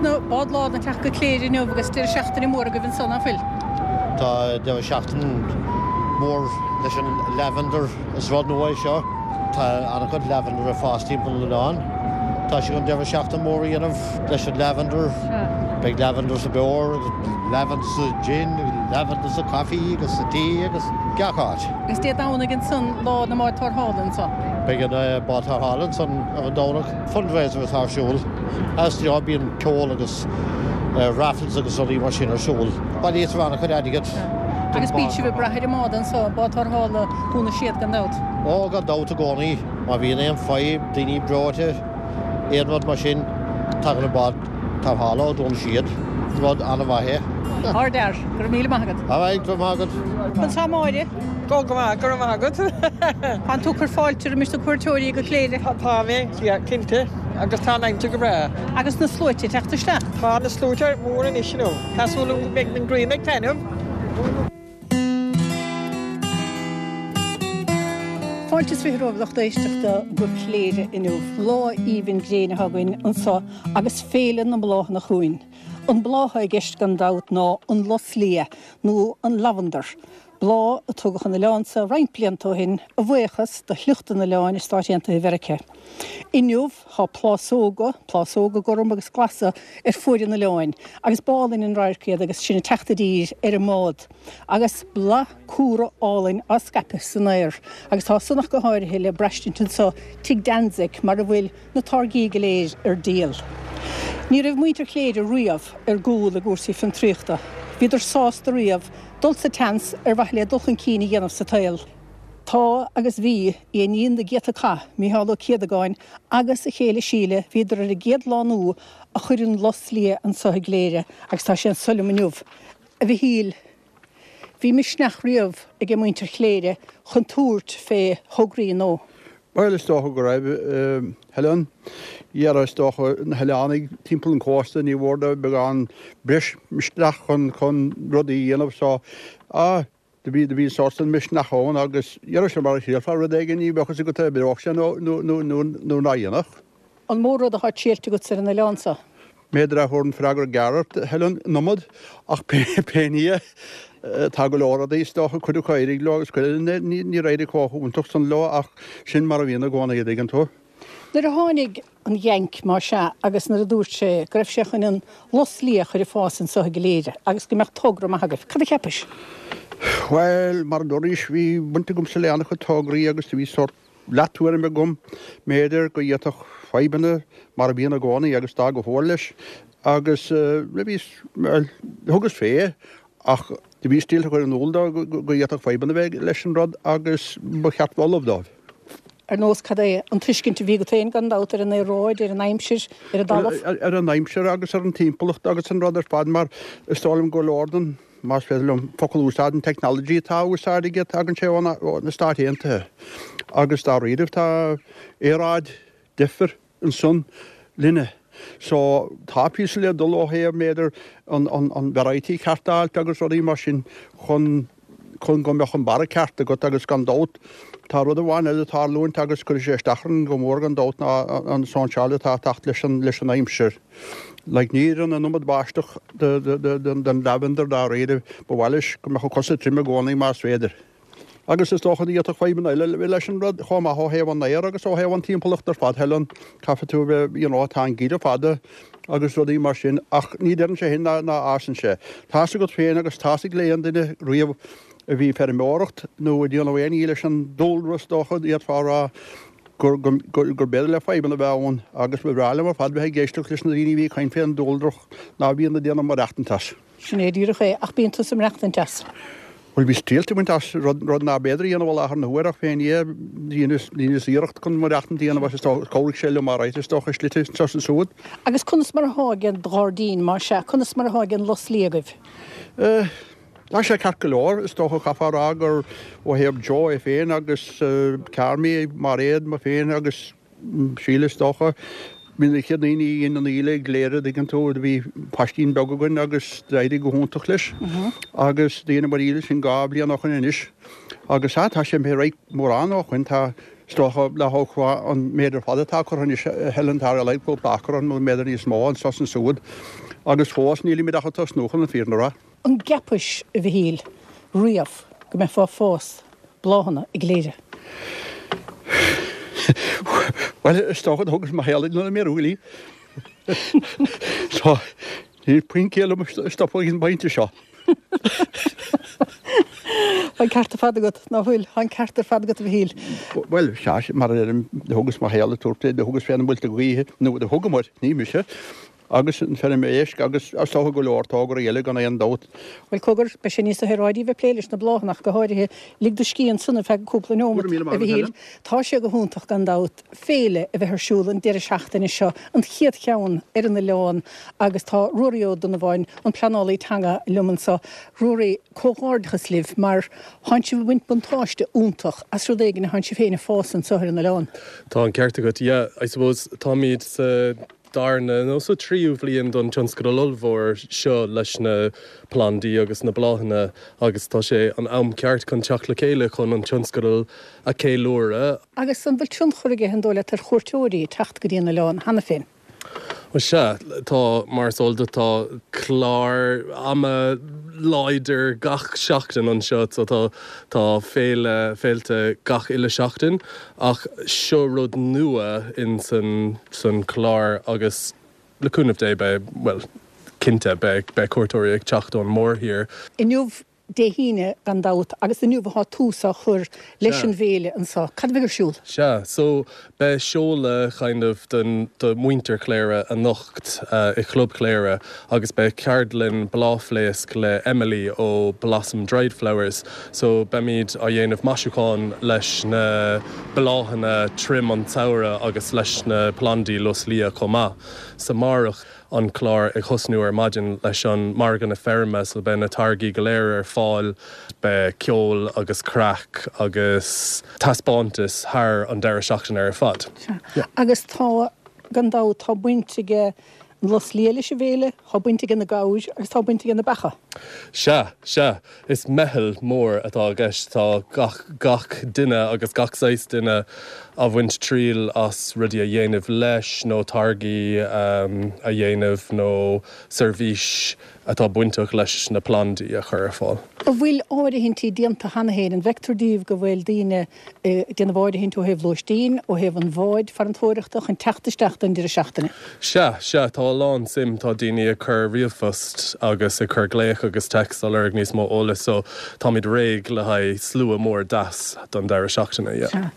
na bád lán ag teacht go Cléire inniu agus deireadh seachtaine mór agaibh anso, ná fuil? Tá deireadh seachtaine mór leis an lavender, is rud nua é seo. Tá an-chuid lavender ag fás timpeall an oileáin. Tá sé chun deireadh seachtaine mór a dhéanamh leis an lavender. Beidh lavender sa beoir agus lavender sa gin, lavender sa coffee agus sa tea agus gach áit. Agus Dé Domhnaigh ansan lá na mbád tarrthála anso. Beidh an bád tarrthála ansan ar an Domhnach. Fundraiser atá ar siúl. As you know bíonn ceol agus raffles agus rudaí mar sin ar siúl. Bailítear an-chuid airgid don Agus bíonn sibh ag brath ar an mbád anso, bád tarrthála Dhún na Séad gan dabht. Ó, gan dabht i gcónaí. Má bhíonn aon fadhb, daoine breoite, aon rud mar sin, tagann an bád tarrthála ó Dhún na Séad. Rud an-mhaith é. Ardfhear. Go raibh míle maith agat. All right, go raibh maith agat. Conas tá Máire? Go go maith, go raibh maith agat. Tánn tú ag cur fáilte roimis na cuairteoirí go Cléire? Tá mé, yeah, cinnte. Agus tá an aimsir go breá. Agus na sluaite ag teacht isteach? Tá na sluaite mór anois, you know. Tá súil agam go mbeidh an ghrian ag taitneamh. Fáilte is 20 romhaibh lucht éisteachta go Cléire inniu. Lá aoibhinn gréine atá againn anso agus Féile na mBláthanna chugainn. An bláth atá i gceist gan dabht ná an lus liath nó an lavandar. Bláth a tugadh chun an oileáin seo roinnt blianta ó shin, a bhuíochas do shliocht an oileáin i Stáit Aontaithe Mheiriceá. Inniu, tá plásóga, plásóga gorm agus glasa, ar fuaid an oileáin, agus b'álainn an radharc iad agus sinn ag teacht i dtír ar an mbád, agus bláth cumhra álainn á scaipeadh san aer. Agus tá san ach go háirithe le braistint anso Tigh Danzig, mar a bhfuil na táirgí go léir ar díol. Ní raibh muintir Chléire riamh ar gcúl i gcúrsaí fiontraíochta. Bhíodar sásta riamh dul sa tseans ar mhaithe le dul chun cinn a dhéanamh sa tsaol. Tá agus bhí, i ndiaidh na gcéadta cath, Mícheál Ó Céadagáin agus a chéile Síle, bhíodar ar an gcéad lánú a chuir an lus liath anso i gCléire agus tá sé anso liom inniu. A Mhichíl, bhí misneach riamh aige muintir Chléire chun tabhairt fé thograí nó. Bhuel, is dócha go raibh, Helen. Dhera, is dócha, na hoileánaigh timpeall an chósta, ní mhór dóibh beagán breis misneach chun, chun rudaí a dhéanamh so, ah, do bhí, do bhí an sórt san misneach ann agus, dhera, sin mar a thriailfeá rud éigin, ní bheadh fhios agat an oibreodh sé nó, nó, nó, nó, nó ná dhéanfadh. An mó rud atá triailte agat ar an oileán seo? B'fhéidir a thabharfainn freagra gearr ort, Helen, an iomad, ach pé ní é, tá go leor rudaí is dócha, cuid acu a d'éirigh leo agus cuid eile níor éirigh chomh hiontach san leo ach sin mar a bhíonn i gcónaí, a dtuigeann tú. Nuair a tháinig an Yank, más ea, agus nuair a dúirt sé go raibh sé chun an lus liath a chur ag fás anso i gCléire agus go mbeadh togra maith agaibh, cad a cheapais? Bhuel, mar a dúraís, bhí baint agamsa le an-chuid tograí agus do bhí sórt leath-tuairim agam, mb'fhéidir, go bhféadfadh fadhbanna, mar a bhíonn i gcónaí, agus d'fhág go fóill leis, agus bhíos, bhuel, thugas fé, ach do bhíos triailte a chur in iúl dó go bhféadfadh fadhbanna bheith leis an rud agus ba cheart bheith ullamh dóibh. Ar nós cad é? An tuiscint a bhí agat féin, gan dabht, ar an aeráid, ar an aimsir, ar an dtalamh? Ar an aimsir agus ar an timpeallacht agus an rud ar fad, mar is dóigh liom go leor den más féidir liom focal a úsáid, an technology atá á úsáid aige, tagann sé ó na Stáit Aontaithe agus dáiríribh tá aeráid difir ansan linne. So tá píosa le dul ó thaobh b'fhéidir an an variety ceart a fháilt agus rudaí mar sin chun chun go mbeadh an barra ceart agat agus gan dabht tá rud amháin eile ag tarlúint agus cuirfidh sé isteach orainn go mór gan dabht ná an sóinseáil atá ag teacht leis an leis an aimsir. Like ní oireann an iomad báisteach don lavender dáiríre. Ba mhaith leis go mbeadh a cosa tirim i gcónaí más féidir. Agus is dócha go bhféadfadh fadhbanna eile a bheith leis an rud chomh maith ó thaobh an aeir agus ó thaobh an timpeallacht ar fad, Helen. Caithfidh tú a bheith, you know, tá an geimhreadh fada agus rudaí mar sin ach ní deireann sé sin ná fhásann sé. Tá's agat féin agus tá's ag le aon duine riamh a bhí ag feirmeoireacht nó ag déanamh aon ní leis an dúlra is dócha, d'fhéadfá a rá, gur b'fhéidir le fadhbanna a bheith ann agus ba bhreá liom ar fad bheith ag éisteacht leis na daoine a bhí ag caint fén dúlra ná bíonn ag déanamh maireachtaint as. Sin é díreach é, ach bíonn tusa ag maireachtaint as. Bhuel, bhíos triailte ag baint as, rud, rud ná b'fhéidir a dhéanamh i láthair na huaire ach fén Dhia, dheineas, dheineas iarracht chun maireachtaint a dhéanamh as is dócha, chabhraigh sé liom alright is dócha, slite anseo is ansúd. Agus conas mar atá ag an ghairdín, más ea, conas mar atá ag an lus liath agaibh? Eh. Tá sé ceart go leor, is dócha, chaithfeá a rá gur ó thaobh Joe é féin agus Carmy, Mairéad, mé féin agus Síle is dócha, bhí na chéad daoine a dhein an íle i gCléire, dtuigeann tú, do bhí paistín beag againn agus d'éirigh go hiontach leis agus dheineamar íle sin 2 bhliain ó shoin anois agus sea, tá sé imithe ar aghaidh mórán ó shoin, tá. Is dócha le hócáid an méid ar fad atá curtha anois, Helen, tá ar a laghad cúpla acra ann nó b'fhéidir níos mó anso is ansúd agus fós nílimid ach ag tosnú chun an fírinne a rá. An gceapais, a Mhichíl, riamh go mbeifeá ag fás bláthanna i gCléire? Bhuel, is dócha do thugas mo shaol ag na míorúiltí. So, níl puinn céille liom stopadh ag an bpointe seo. Tá an ceart ar fad agat, ná fuil? Tá an ceart ar fad agat, a Mhichíl. Bhuel, sea, mar a deirim, do thugas mo shaol ag tabhairt, do thugas fé na muilte gaoithe, nó do thugamar, ní mise, agus an feirm éisc agus is dócha go leor tograí eile gan aon dabht. Bhuel, cogar, beidh sé níos saoráidí bheith ag plé leis na bláthanna ach go háirithe. Lig do scíth ansan ar feadh cúpla nóimeat, a Mhichíl. Tá sé go hiontach gan dabht. féile a bheith ar siúl an deireadh seachtaine seo, an chéad cheann ar an oileán agus tá Ruairí Ó Donnabháin, an pleanálaí teanga, liom anseo. Ruairí, comhghairdeachas libh mar thánn sibh ag baint buntáiste iontach as rud éigin a thánn sibh féin ag fás anseo ar an oileán. Tá an ceart agat, yeah, I suppose táimid sa darna nó sa tríú bhliain don tionscadal ollmhór seo leis na plandaí agus na bláthanna agus tá sé an am ceart chun teacht le chéile chun an tionscadal a cheiliúradh. Agus an bhfuil tionchar aige, an dóigh leat, ar chuairteoirí ag teacht go dtí an oileán cheana féin? Bhuel, sea, tá, mar is eol duit, tá clár ama láidir gach seachtain anseo, so tá, tá féile, féilte gach uile seachtain, ach seo rud nua in san, san clár agus le cúnamh Dé beidh, bhuel, cinnte, beidh, beidh cuairteoirí ag teacht ón mórthír. Inniu Dé hAoine, gan dabht, agus inniu atá tús á chur leis an bhféile anseo. Cad a bheidh ar siúl? Sea, so beidh seoladh kind of don, do mhuintir Chléire anocht i Chlub Chléire agus beidh ceardlann bláthfhléasc le Emily ó Blossom Dried Flowers. So beimid á dhéanamh maisiúcháin leis na bláthanna trim an tsamhraidh agus leis na plandaí lus liath chomh maith. So amárach. an clár ag thosnú ar maidin leis an margadh na feirme so beidh na táirgí go léir ar fáil, beidh ceol agus craic agus taispeántas thar an deireadh seachtaine ar fad. Sea. Agus tá, gan dabht, tá baint ag an lus liath leis an bhféile, tá baint ag na gabhair agus tá baint ag na beacha. Sea, sea. Is meitheal mór atá i gceist. Tá gach, gach duine agus gach saghas duine á bhaint triail as rudaí a dhéanamh leis nó táirgí a dhéanamh nó seirbhís atá bainteach leis na plandaí a chur ar fáil. An bhfuil áirithintí déanta cheana féin? An bhfeictear daoibh go bhfuil daoine ag déanamh áirithint ó thaobh lóistín, ó thaobh an bháid farantóireachta chun teacht isteach don deireadh seachtaine. Sea, sea, tá a lán suim, tá daoine ag cur ríomhphost agus ag cur glaoch agus text á lorg níos mó eolais so táimid réidh le haghaidh slua mór deas don deireadh seachtaine, yeah. Sea.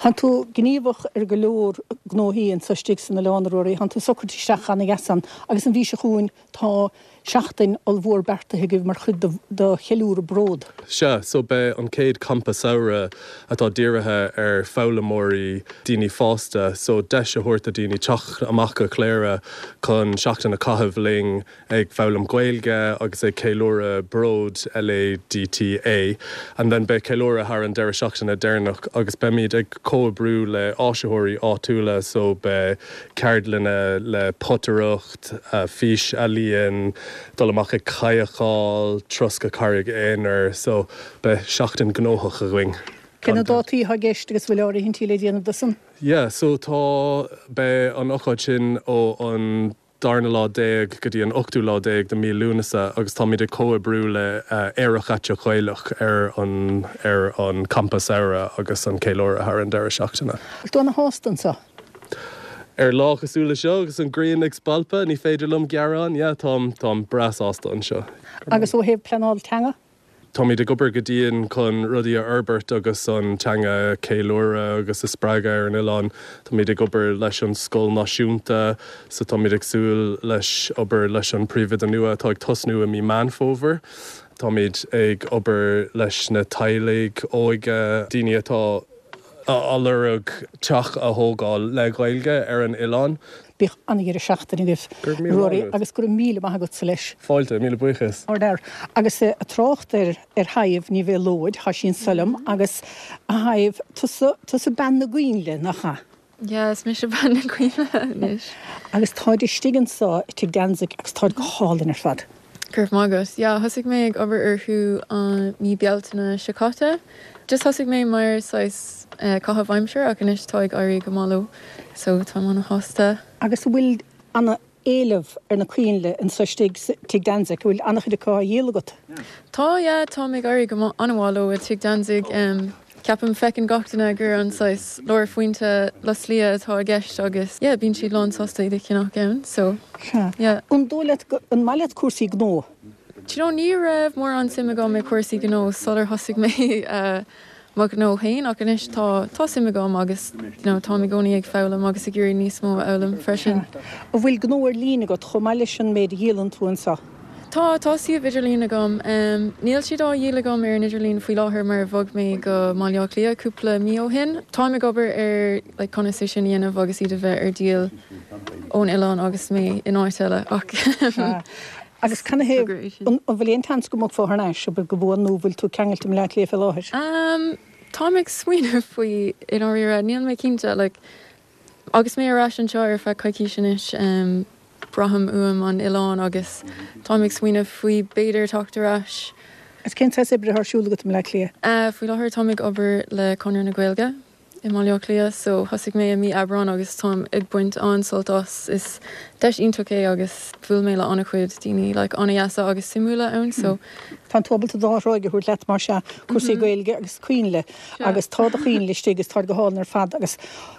Thánn tú gníomhach ar go leor gnóthaí anso istigh san oileán, a Ruairí, thánn tú socraithe isteach ana-dheas ann agus an mhí seo chugainn tá Seachtain ollmhór beartaithe agaibh mar chuid de cheiliúradh Bród. Sea, so beidh an chéad campa samhraidh atá dírithe ar foghlaimeoirí, daoine fásta, so deis a thabhairt do daoine teacht amach go Cléire chun seachtain a chaitheamh linn ag foghlaim Gaeilge agus ag ceiliúradh Bród, LADTA. And then beidh ceiliúradh thar an deireadh seachtaine deireanach agus beimid ag comhoibriú le áisitheoirí áitiúla so beidh ceardlanna le potaireacht, fís-ealaíon, dul amach ag cadhcáil, turas go Carraig Aonair, so beidh seachtain gnóthach againn. Cé na dátaí atá i gceist agus bhfuil áirithintí le déanamh dó san? Yeah, so tá, beidh an ocáid sin ó an darna lá déag go dtí an ochtú lá déag de mí Lúnasa agus táimid ag comhoibriú le Aerach Aiteach Gaelach ar an ar an campa samhraidh agus an ceiliúradh thar an deireadh seachtaine. Bhfuil tú ana-shásta anseo? Ar lá cosúil le seo agus an ghrian ag spalpadh, ní féidir liom gearán. Yeah, táim, táim breá sásta anseo. Agus ó thaobh pleanáil teanga? Táimid ag obair go dian chun rudaí a fhorbairt agus an teanga a cheiliúradh agus a spreagadh ar an oileán. Táimid ag obair leis an scoil náisiúnta so táimid ag súil leis obair leis an príomhoide nua atá ag tosnú i mí Meán Fómhair. Táimid ag obair leis na teaghlaigh óige, daoine atá. á lorg teach a thógáil le Gaeilge ar an oileán. Bíodh an-dheireadh seachtaine agaibh, Ruairí, agus go raibh míle maith agatsa leis. Fáilte, míle buíochas. Ardfhear. Agus ag trácht ar ar Shadhbh Ní Mhéalóid, tá sí anso liom, agus a Shadhbh, tusa, tusa bean na gcoinnle, nach ea? Yeah, is mise bean na gcoinnle anois. Agus táid istigh anso i Tigh Danzig agus táid go hálainn ar fad. Go raibh maith agat. Yeah, thosaigh mé ag obair orthu an mí Bealtaine seo caite. Just thosaigh mé mar saghas caitheamh aimsire ach anois tá ag éirí go maith leo so táim ana-shásta. Agus an bhfuil ana éileamh ar na coinnle anso istigh sa Tigh Danzig, an bhfuil an-chuid acu á dhíol agat? Tá, yeah, táim ag éirí go maith, an-mhaith leo i Tigh Danzig. Ceapaim, feiceann gach duine gur an saghas lárphointe lus liath atá i gceist agus yeah, bíonn siad lán sásta iad a cheannach ann so yeah. An dóigh leat, an maith leat cúrsaí gnó? Do you know, ní raibh mórán suim agam i cúrsaí gnó sular thosaigh mé mo ghnó féin ach anois tá, tá suim agam agus you know, táim i gcónaí ag foghlaim agus ag iarraidh níos mó a fhoghlaim freisin. An bhfuil gnó ar líne agat chomh maith leis an méid a dhíolann tú anseo? Tá, tá suíomh idirlín agam. Níl siad á dhíol agam ar an idirlíon faoi láthair mar bhog mé go mBaile Átha Cliath cúpla mí ó shin. Táim ag obair ar like conas é sin a dhéanamh agus iad a bheith ar díol ón oileán agus mé in áit eile ach Sea. Agus cad ina thaobh, an bhfuil aon tseans go mbogfá thar n-ais, obair go buan nó an bhfuil tú ceangailte i mBaile Átha Cliath fé láthair? Táim ag smaoineamh faoi i ndáiríre, níl mé cinnte like Agus mé ar ais anseo ar feadh coicís anois, braithim uaim an oileán agus táim ag smaoineamh faoi b'fhéidir teacht ar ais. Agus cén saghas oibre atá ar siúl agat i mBaile Átha Cliath? Faoi láthair táim ag obair le Conradh na Gaeilge i mBaile Átha Cliath so thosaigh mé i mí Aibreán agus táim ag baint an-sult as. Is deis iontach é agus bhuail mé le an-chuid daoine like an-dheasa agus suimiúla ann so. Tá tú ábalta dhá thráigh a thabhairt leat mar sea, cúrsaí Gaeilge agus coinnle. Agus tá do choinnle istigh agus táid go hálainn ar fad agus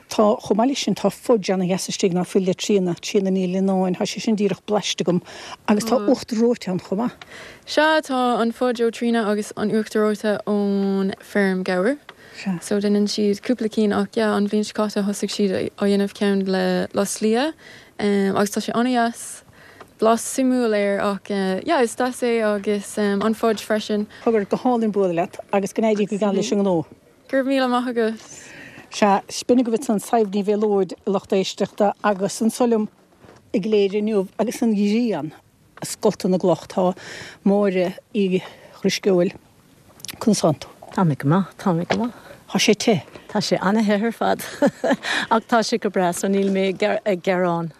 tá, chomh maith leis sin, tá fudge ana-dheas istigh ná fuil le Tríona, Tríona Ní Lionáin, tá sé sin díreach blaiste agam agus tá uachtar reoite ann chomh maith. Sea, tá an fudge ó Tríona agus an uachtar reoite ón feirm gabhair. Sea. So déanann siad cúpla cinn ach yeah, an bhliain seo caite thosaigh siad á dhéanamh ceann le lus liath agus tá sé ana-dheas. Blas suimiúil air ach yeah is deas é agus an fudge freisin. Cogar, go hálainn bualadh leat agus go n-éirí go geal leis an ngnó. Go raibh míle maith agat. Sea, b'in agaibh ansan Sadhbh Ní Mhéalóid, a lucht éisteachta, agus anso liom i gCléire inniu agus an ghrian ag scoltadh na gcloch, tá Máire Uí Dhrisceoil. Conas tánn tú? Tá mé go maith, tá mé go maith. Tá sé te. Tá sé ana-the ar fad ach tá sé go breá so níl mé ag gearán.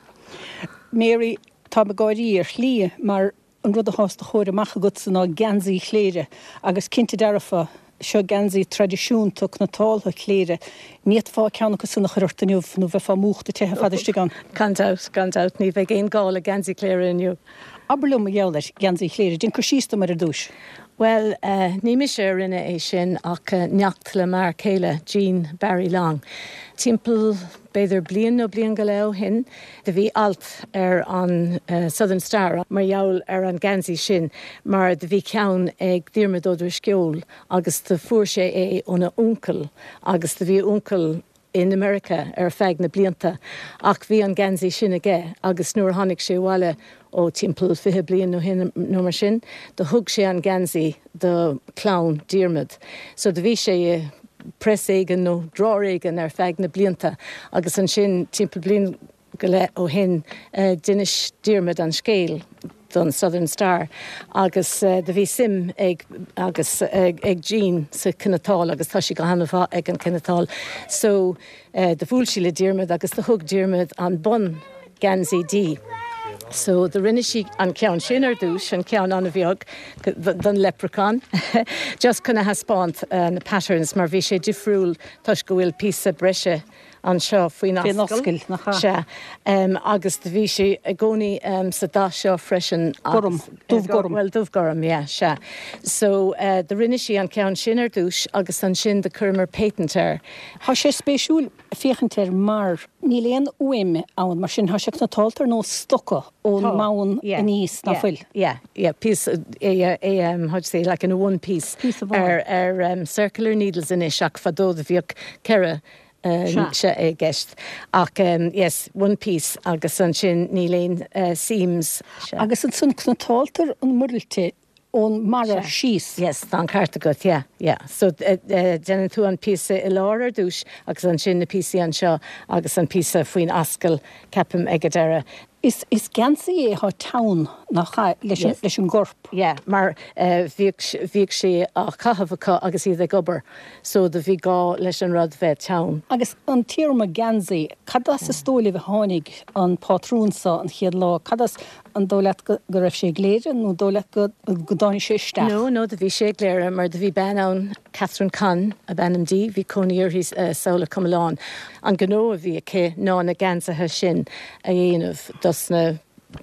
Mary, Táim ag gáirí ar shlí mar an rud atá os do chomhair amach agatsa ná geansaí Chléire agus cinnte dearfa, seo geansaí traidisiúnta cniotáilte Chléire. Ní fhéadfá ceann acu san a chur ort inniu nó bheifeá múchta te ar fad istigh ann. Gan dabht, gan dabht, ní bheidh aon gá le geansaí Chléire inniu. Abair liom mar gheall ar gheansaí Chléire, déan cur síos dom air ar dtúis. Bhuel, ní mise a rinne é sin ach neacht le m'fhear céile, Gene Barry Long. Timpeall b'fhéidir bliain nó bliain go leith ó shin, do bhí alt ar an Southern Star mar gheall ar an geansaí sin mar do bhí ceann ag Diarmuid Ó Drisceoil agus do fuair sé é óna uncail agus do bhí a uncail in America ar feadh na blianta ach bhí an geansaí sin aige agus nuair a tháinig sé abhaile ó timpeall 20 bliain ó shin nó mar sin do thug sé an geansaí do chlann Diarmuid. So do bhí sé i press éigin nó drawer éigin ar feadh na blianta agus ansin timpeall bliain go leith ó shin d'inis Diarmuid an scéal don Southern Star agus do bhí suim ag agus ag Jean sa chniotáil agus tá sí go han-mhaith ag an chniotáil so do bhuail sí le Diarmuid agus do thug Diarmuid an bun geansaí di. So do rinne sí an ceann sin ar dtúis, an ceann an-bheag don leprechaun just chun a thaispeáint na patterns mar bhí sé difriúil toisc go bhfuil píosa breise anseo faoin ascaill. Nach ea? Sea. Agus do bhí sé i gcónaí sa dath seo freisin. Gorm. Dubh gorm. Bhuel, dubh gorm, yeah, sea. So, do rinne sí an ceann sin ar dtús agus ansin do chuireamar patent air. Tá sé spéisiúil féachaint air mar níl aon fhuaim ann, mar sin tá sé cniotáilte ar nós stoca ón mbonn aníos, ná fuil? Yeah, yeah, píosa, yeah, how do you say, like in a one piece. Píosa amháin. Ar, ar circular needles anois ach fadó do bhíodh ceithre Sea i gceist. Ach yes, one piece agus ansin níl aon seams. Agus ansan cniotáiltear an mhuirilte ón mbarra síos. Yes, tá an ceart agat, yeah, yeah. So déanann tú an píosa i lár ar dtús agus ansin na píosaí anseo agus an píosa faoin ascaill, ceapaim, ag an deireadh. Is geansaí é atá teann, nach ea, leis an gcorp. Yeah, mar bhíodh, bhíodh sé á chaitheamh acu agus iad ag obair so do bhí gá leis an rud bheith teann. Agus an téarma geansaí, cad as is dóigh libh a tháinig an pátrún so an chéad lá? Cad as, an dóigh leat go raibh sé i gCléire nó an dóigh leat go dtáinig sé isteach? No, no, do bhí sé i gCléire mar do bhí bean ann, Catherine Conn ab ainm di, bhí cónaí uirthi sall i Comalán. An gnó a bhí aici ná na geansaithe sin a dhéanamh dos na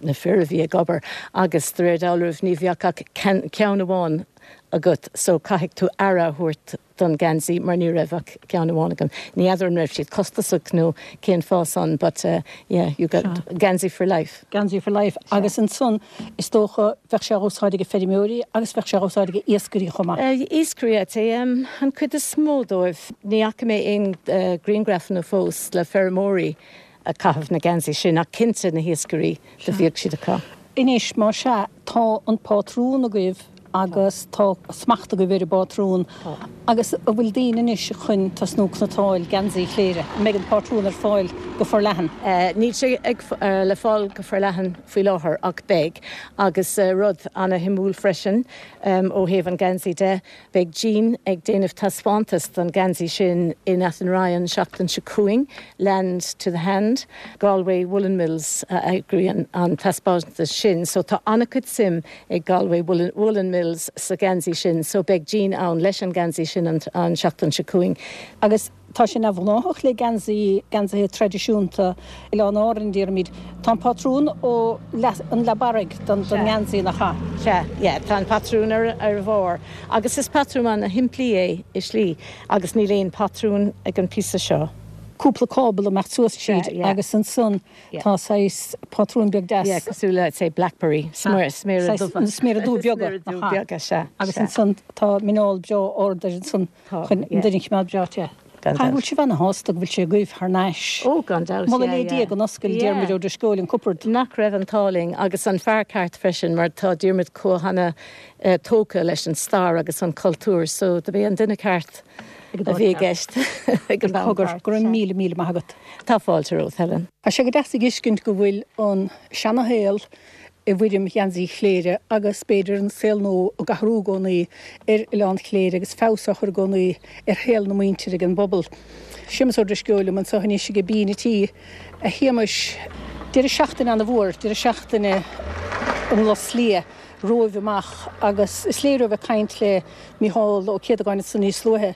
na fir a bhí ag obair agus de réir dealraimh ní bheadh ach ceann amháin agat so caithfidh tú aire a thabhairt don geansaí mar ní raibh ach ceann amháin agam. Ní fheadar an raibh siad costasach nó cén fáth san but yeah you got geansaí for life. Geansaí for life agus ansan is dócha bheadh sé á úsáid ag feirmeoirí agus bheadh sé á úsáid ag iascairí chomh maith. Iascairí I'd say an cuid is mó dóibh. Ní fhaca mé aon griangrafanna fós le feirmeoirí ag caitheamh na geansaí sin ach cinnte na hiascairí do bhíodh siad acu. Anois, más ea, tá an pátrún agaibh agus tá smacht agaibh ar an bpátrún agus an bhfuil daoine anois chun tosnú cniotáil geansaí Chléire? An mbeidh an pátrún ar fáil go forleathan? Níl sé ag le fáil go forleathan faoi láthair ach beidh. Agus rud ana-shuimiúil freisin ó thaobh an geansaí de, Beidh Jean ag déanamh taispeántas don geansaí sin in Athenry an seachtain seo chugainn, Land to the Hand. Galway Woollen Mills a eagraíonn an taispeántas sin so tá an-chuid suim ag Galway Woollen Mills sa gheansaí sin so beidh Jean ann leis an geansaí sin an seachtain seo chugainn. Agus Tá sé neamhghnáthach le geansaí, geansaithe traidisiúnta Oileáin Árann, déarfaimid. Tá an pátrún ó leath, an leath barraigh don ngeansaí, nach ea? Sea, yeah, tá an patrún ar a bharr agus is patrún ana-shimplí é i slí agus níl aon patrún ag an píosa seo. Cúpla cábla ag imeacht suas tríd agus ansan tá saghas pátrún beag deas. Yeah, cosúil le, say, blackberry, sméara dubha. Sméara dubha beaga, nach ea? Sméara dubha beaga, sea. Agus ansan tá muineál breá ard air ansan. Chun an duine a choimeád breá te. Gan dabht. An bhfuil sibh ana-shásta go bhfuil sé agaibh thar n-ais? Ó, gan dabht, yeah, yeah. Moladh le Dia go n-oscail Diarmuid Ó Drisceoil an cupard. Nach raibh an t-ádh linn, agus an fear ceart freisin, mar tá Diarmuid chomh hana tógtha leis an stair agus an cultúr, so do b'é an duine ceart a bhí i gceist ag an am ceart. Go raibh míle, míle maith agat. Tá fáilte romhat, Helen. Tá sé go deas a fheiscint go bhfuil an seana-shaol i bhfoirm gheansaí Chléire agus b'fhéidir an saol nua ag athrú i gcónaí ar Oileán Chléire agus feabhas á chur i gcónaí ar shaol na muintire ag an bpobal. Séamus Ó Drisceoil liom anseo anois ag Bean a' Tí. A Shéamais, deireadh seachtaine ana-mhór, deireadh seachtaine an Lus Liath romhaibh amach agus is léir ó bheith ag caint le Mícheál Ó Céadagáin ansan níos luaithe,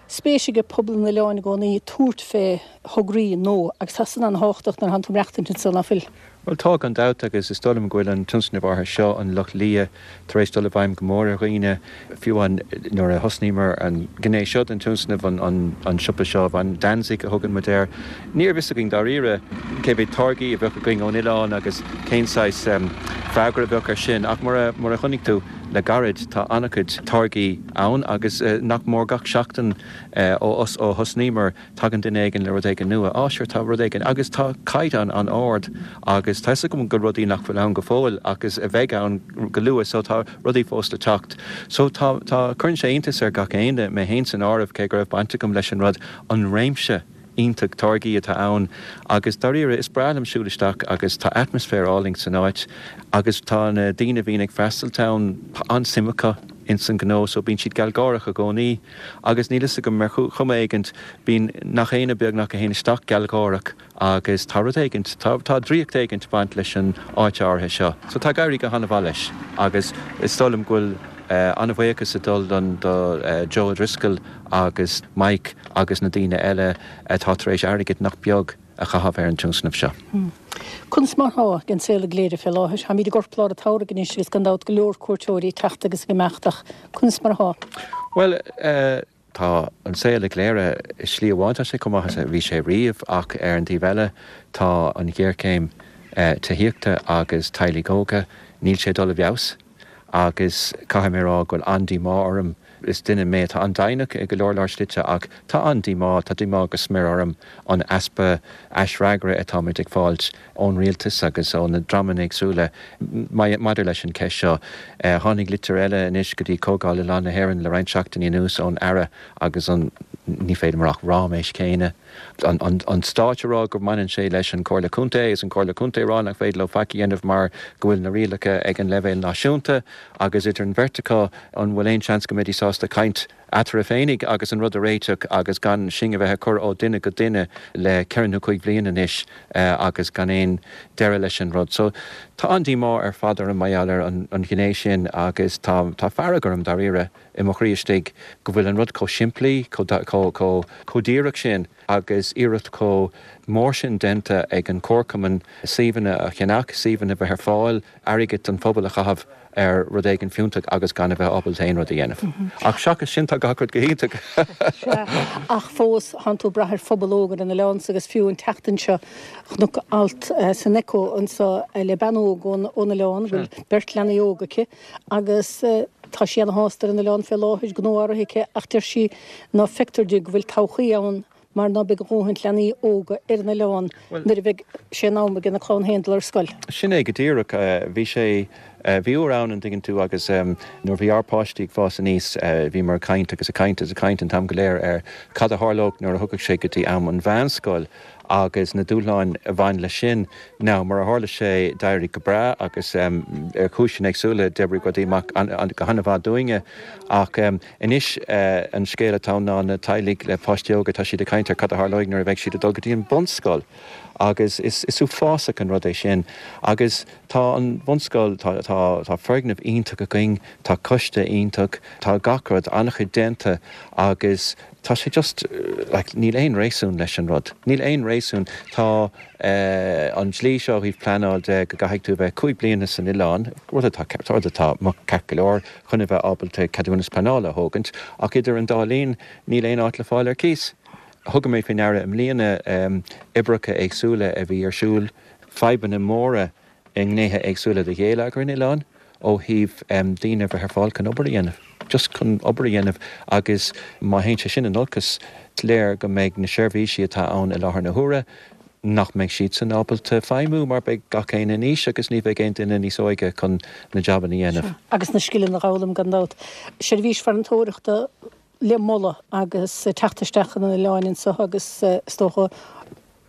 spéis ag pobal an oileáin i gcónaí tabhairt fé thograí nua agus tá san an-thábhachtach nuair atánn tú ag maireachtaint anso, ná fuil? Bhuel tá, gan dabht, agus is dóigh liom go bhfuil an tionscnamh áirithe seo, an Lus Liath, tar éis dul i bhfeidhm go mór ar dhaoine. Fiú amháin nuair a thosnaíomar an ghné seo den tionscnamh, an siopa seo, an Danzig a thugann muid air, ní raibh fhios againn dáiríre cé mhéad táirgí a bheadh againn ón oileán agus cén saghas freagra a bheadh air sin. Ach mar a chonaic tú le gairid, tá an-chuid táirgí ann agus nach mór gach seachtain ó thosnaíomar, Tagann duine éigin le rud éigin nua, á sure tá rud éigin, agus tá caighdeán an-ard agus tá 'fhios agam go rudaí nach bhfuil ann go fóill agus a bheidh ann go luath so tá rudaí fós le teacht. So tá, tá, cuireann sé iontas ar gach éinne, mé féin san áireamh cé go raibh baint agam leis an rud, an réimse iontach táirgí atá ann agus dáiríre is breá liom siúl isteach agus tá atmaisféar álainn san áit agus tá na daoine a bhíonn ag freastailt ann, tá an-suim acu ins an gnó so bíonn siad gealgháireach i gcónaí. Agus níl fhios agam, ar chuma éigint, bíonn nach éinne beagnach a théann isteach gealgháireach agus tá rud éigint, tá, tá draíocht éigint ag baint leis an áit áirithe seo. So tá ag éirí go han-mhaith leis agus is dóigh liom go bhfuil an-bhuíochas ag dul don, do Joe O'Driscoll agus Mike agus na daoine eile atá tar éis airgead nach beag a chaitheamh ar an tionscnamh seo. Conas mar atá an saol i gCléire fé láthair? Táimid i gcorplár an tsamhraidh anois agus gan dabht go leor cuairteoirí ag teacht agus ag imeacht ach conas mar atá? Bhuel, tá an saol i gCléire, i slí amháin tá sé chomh maith is a bhí sé riamh ach ar an taobh eile tá an ghéarchéim tithíochta agus teaghlaigh óga, níl sé ag dul i bhfeabhas agus caithfidh mé a rá go bhfuil an-díomá orm. Is duine mé atá an-deimhneach i go leor leor slite ach tá an-díomá, tá díomá go smior orm an easpa aisfhreagra atáimid ag fáilt ón rialtas agus ó na dreamanna éagsúla maidir leis an cheist seo. Tháinig litir eile anois go dtí Comhdháil Oileán na hÉireann le roinnt seachtainí anuas ón Aire agus an. Ní féidir liom ach ráiméis céanna. An Stáit a rá go mbaineann sé leis an Chomhairle Contae agus an Chomhairle Contae a rá nach féidir leo faic a dhéanamh mar go bhfuil na rialacha ag an leibhéal náisiúnta agus idir an bheirt acu an bhfuil aon seans go mbeidís sásta caint eatarthu féinig agus an rud a réiteach agus gan sinn a bheith ag cur ó duine go duine le ceithre nó cuig bhliain anois agus gan aon deireadh leis an rud. So tá an-díomá ar fad orm mar gheall ar an ghné sin agus tá tá fearg orm dáiríre i mo chroí istigh go bhfuil an rud chomh simplí, chomh díreach sin agus iarracht chomh mór sin déanta ag an Chomharchumann suíomhanna a cheannach, suíomhanna a bheith ar fáil, airgead an phobail a chaitheamh ar rud éigin fiúntach agus gan a bheith ábalta aon rud a dhéanamh. Ach seachas sin tá gach rud go hiontach. Sea, ach fós tánn tú ag brath ar phobal óg ar an oileán agus fiú an tseachtain seo chonac alt san Echo anseo le bean óg ón oileán go bhfuil beirt leanaí óga aici agus tá sí ana-shásta ar an oileán fé láthair, gnó á rith aici ach deir sí ná feictear di go bhfuil todhchaí ann mar ná beidh a dhóthaint leanaí óga ar an oileán nuair a bheidh sé in am ag a clann féin dul ar scoil. Sin é go díreach. Bhí sé, bhí uair ann, an dtuigeann tú, agus nuair a bhí ár bpáistí ag fás aníos, bhíomar ag caint agus ag caint agus ag caint an t-am go léir ar cad a tharlódh nuair a thiocfadh sé go dtí am an mheánscoil agus na dúshláin a bhain leis sin. Now, mar a tharla sé, d'éirigh go breá agus ar chúiseanna éagsúla d'oibrigh rudaí amach go han-mhaith dúinne ach anois an scéal atá ann ná na teaghlaigh le páistí óga, tá siad ag caint ar cad a tharlóidh nuair a bheidh siad ag dul go dtí an bunscoil agus is uafásach an rud é sin agus tá an bhunscoil, tá, tá, tá foirgneamh iontach againn, tá coiste iontach, tá gach rud, an-chuid déanta agus Tá sé just, like, níl aon réasún leis an rud. Níl aon réasún. Tá an dlí seo ó thaobh pleanáil de go gcaithfidh tú a bheith 5 bliana san oileán, rud atá, rud atá ceart go leor, chun a bheith ábalta ceadúnas pleanála a thógaint, ach idir an dá linn níl aon áit le fáil ar cíos. Thug mé faoi ndeara i mbliana oibreacha éagsúla a bhí ar siúl, fadhbanna móra i ngnéithe éagsúla de gheilleagar an oileáin ó thaobh daoine a bheith ar fáil chun obair a dhéanamh, just chun obair a dhéanamh agus má théann sé sin in olcas, is léir go mbeidh na seirbhísí atá ann i láthair na huaire, nach mbeidh siadsan ábalta feidhmiú mar beidh gach éinne in aois agus ní bheidh aon duine níos óige chun na jabanna a dhéanamh. Sea, agus na scileanna a dh'fhoghlaim gan dabht. Seirbhís farantóireachta le moladh agus teacht isteach chun an oileáin anseo agus is dócha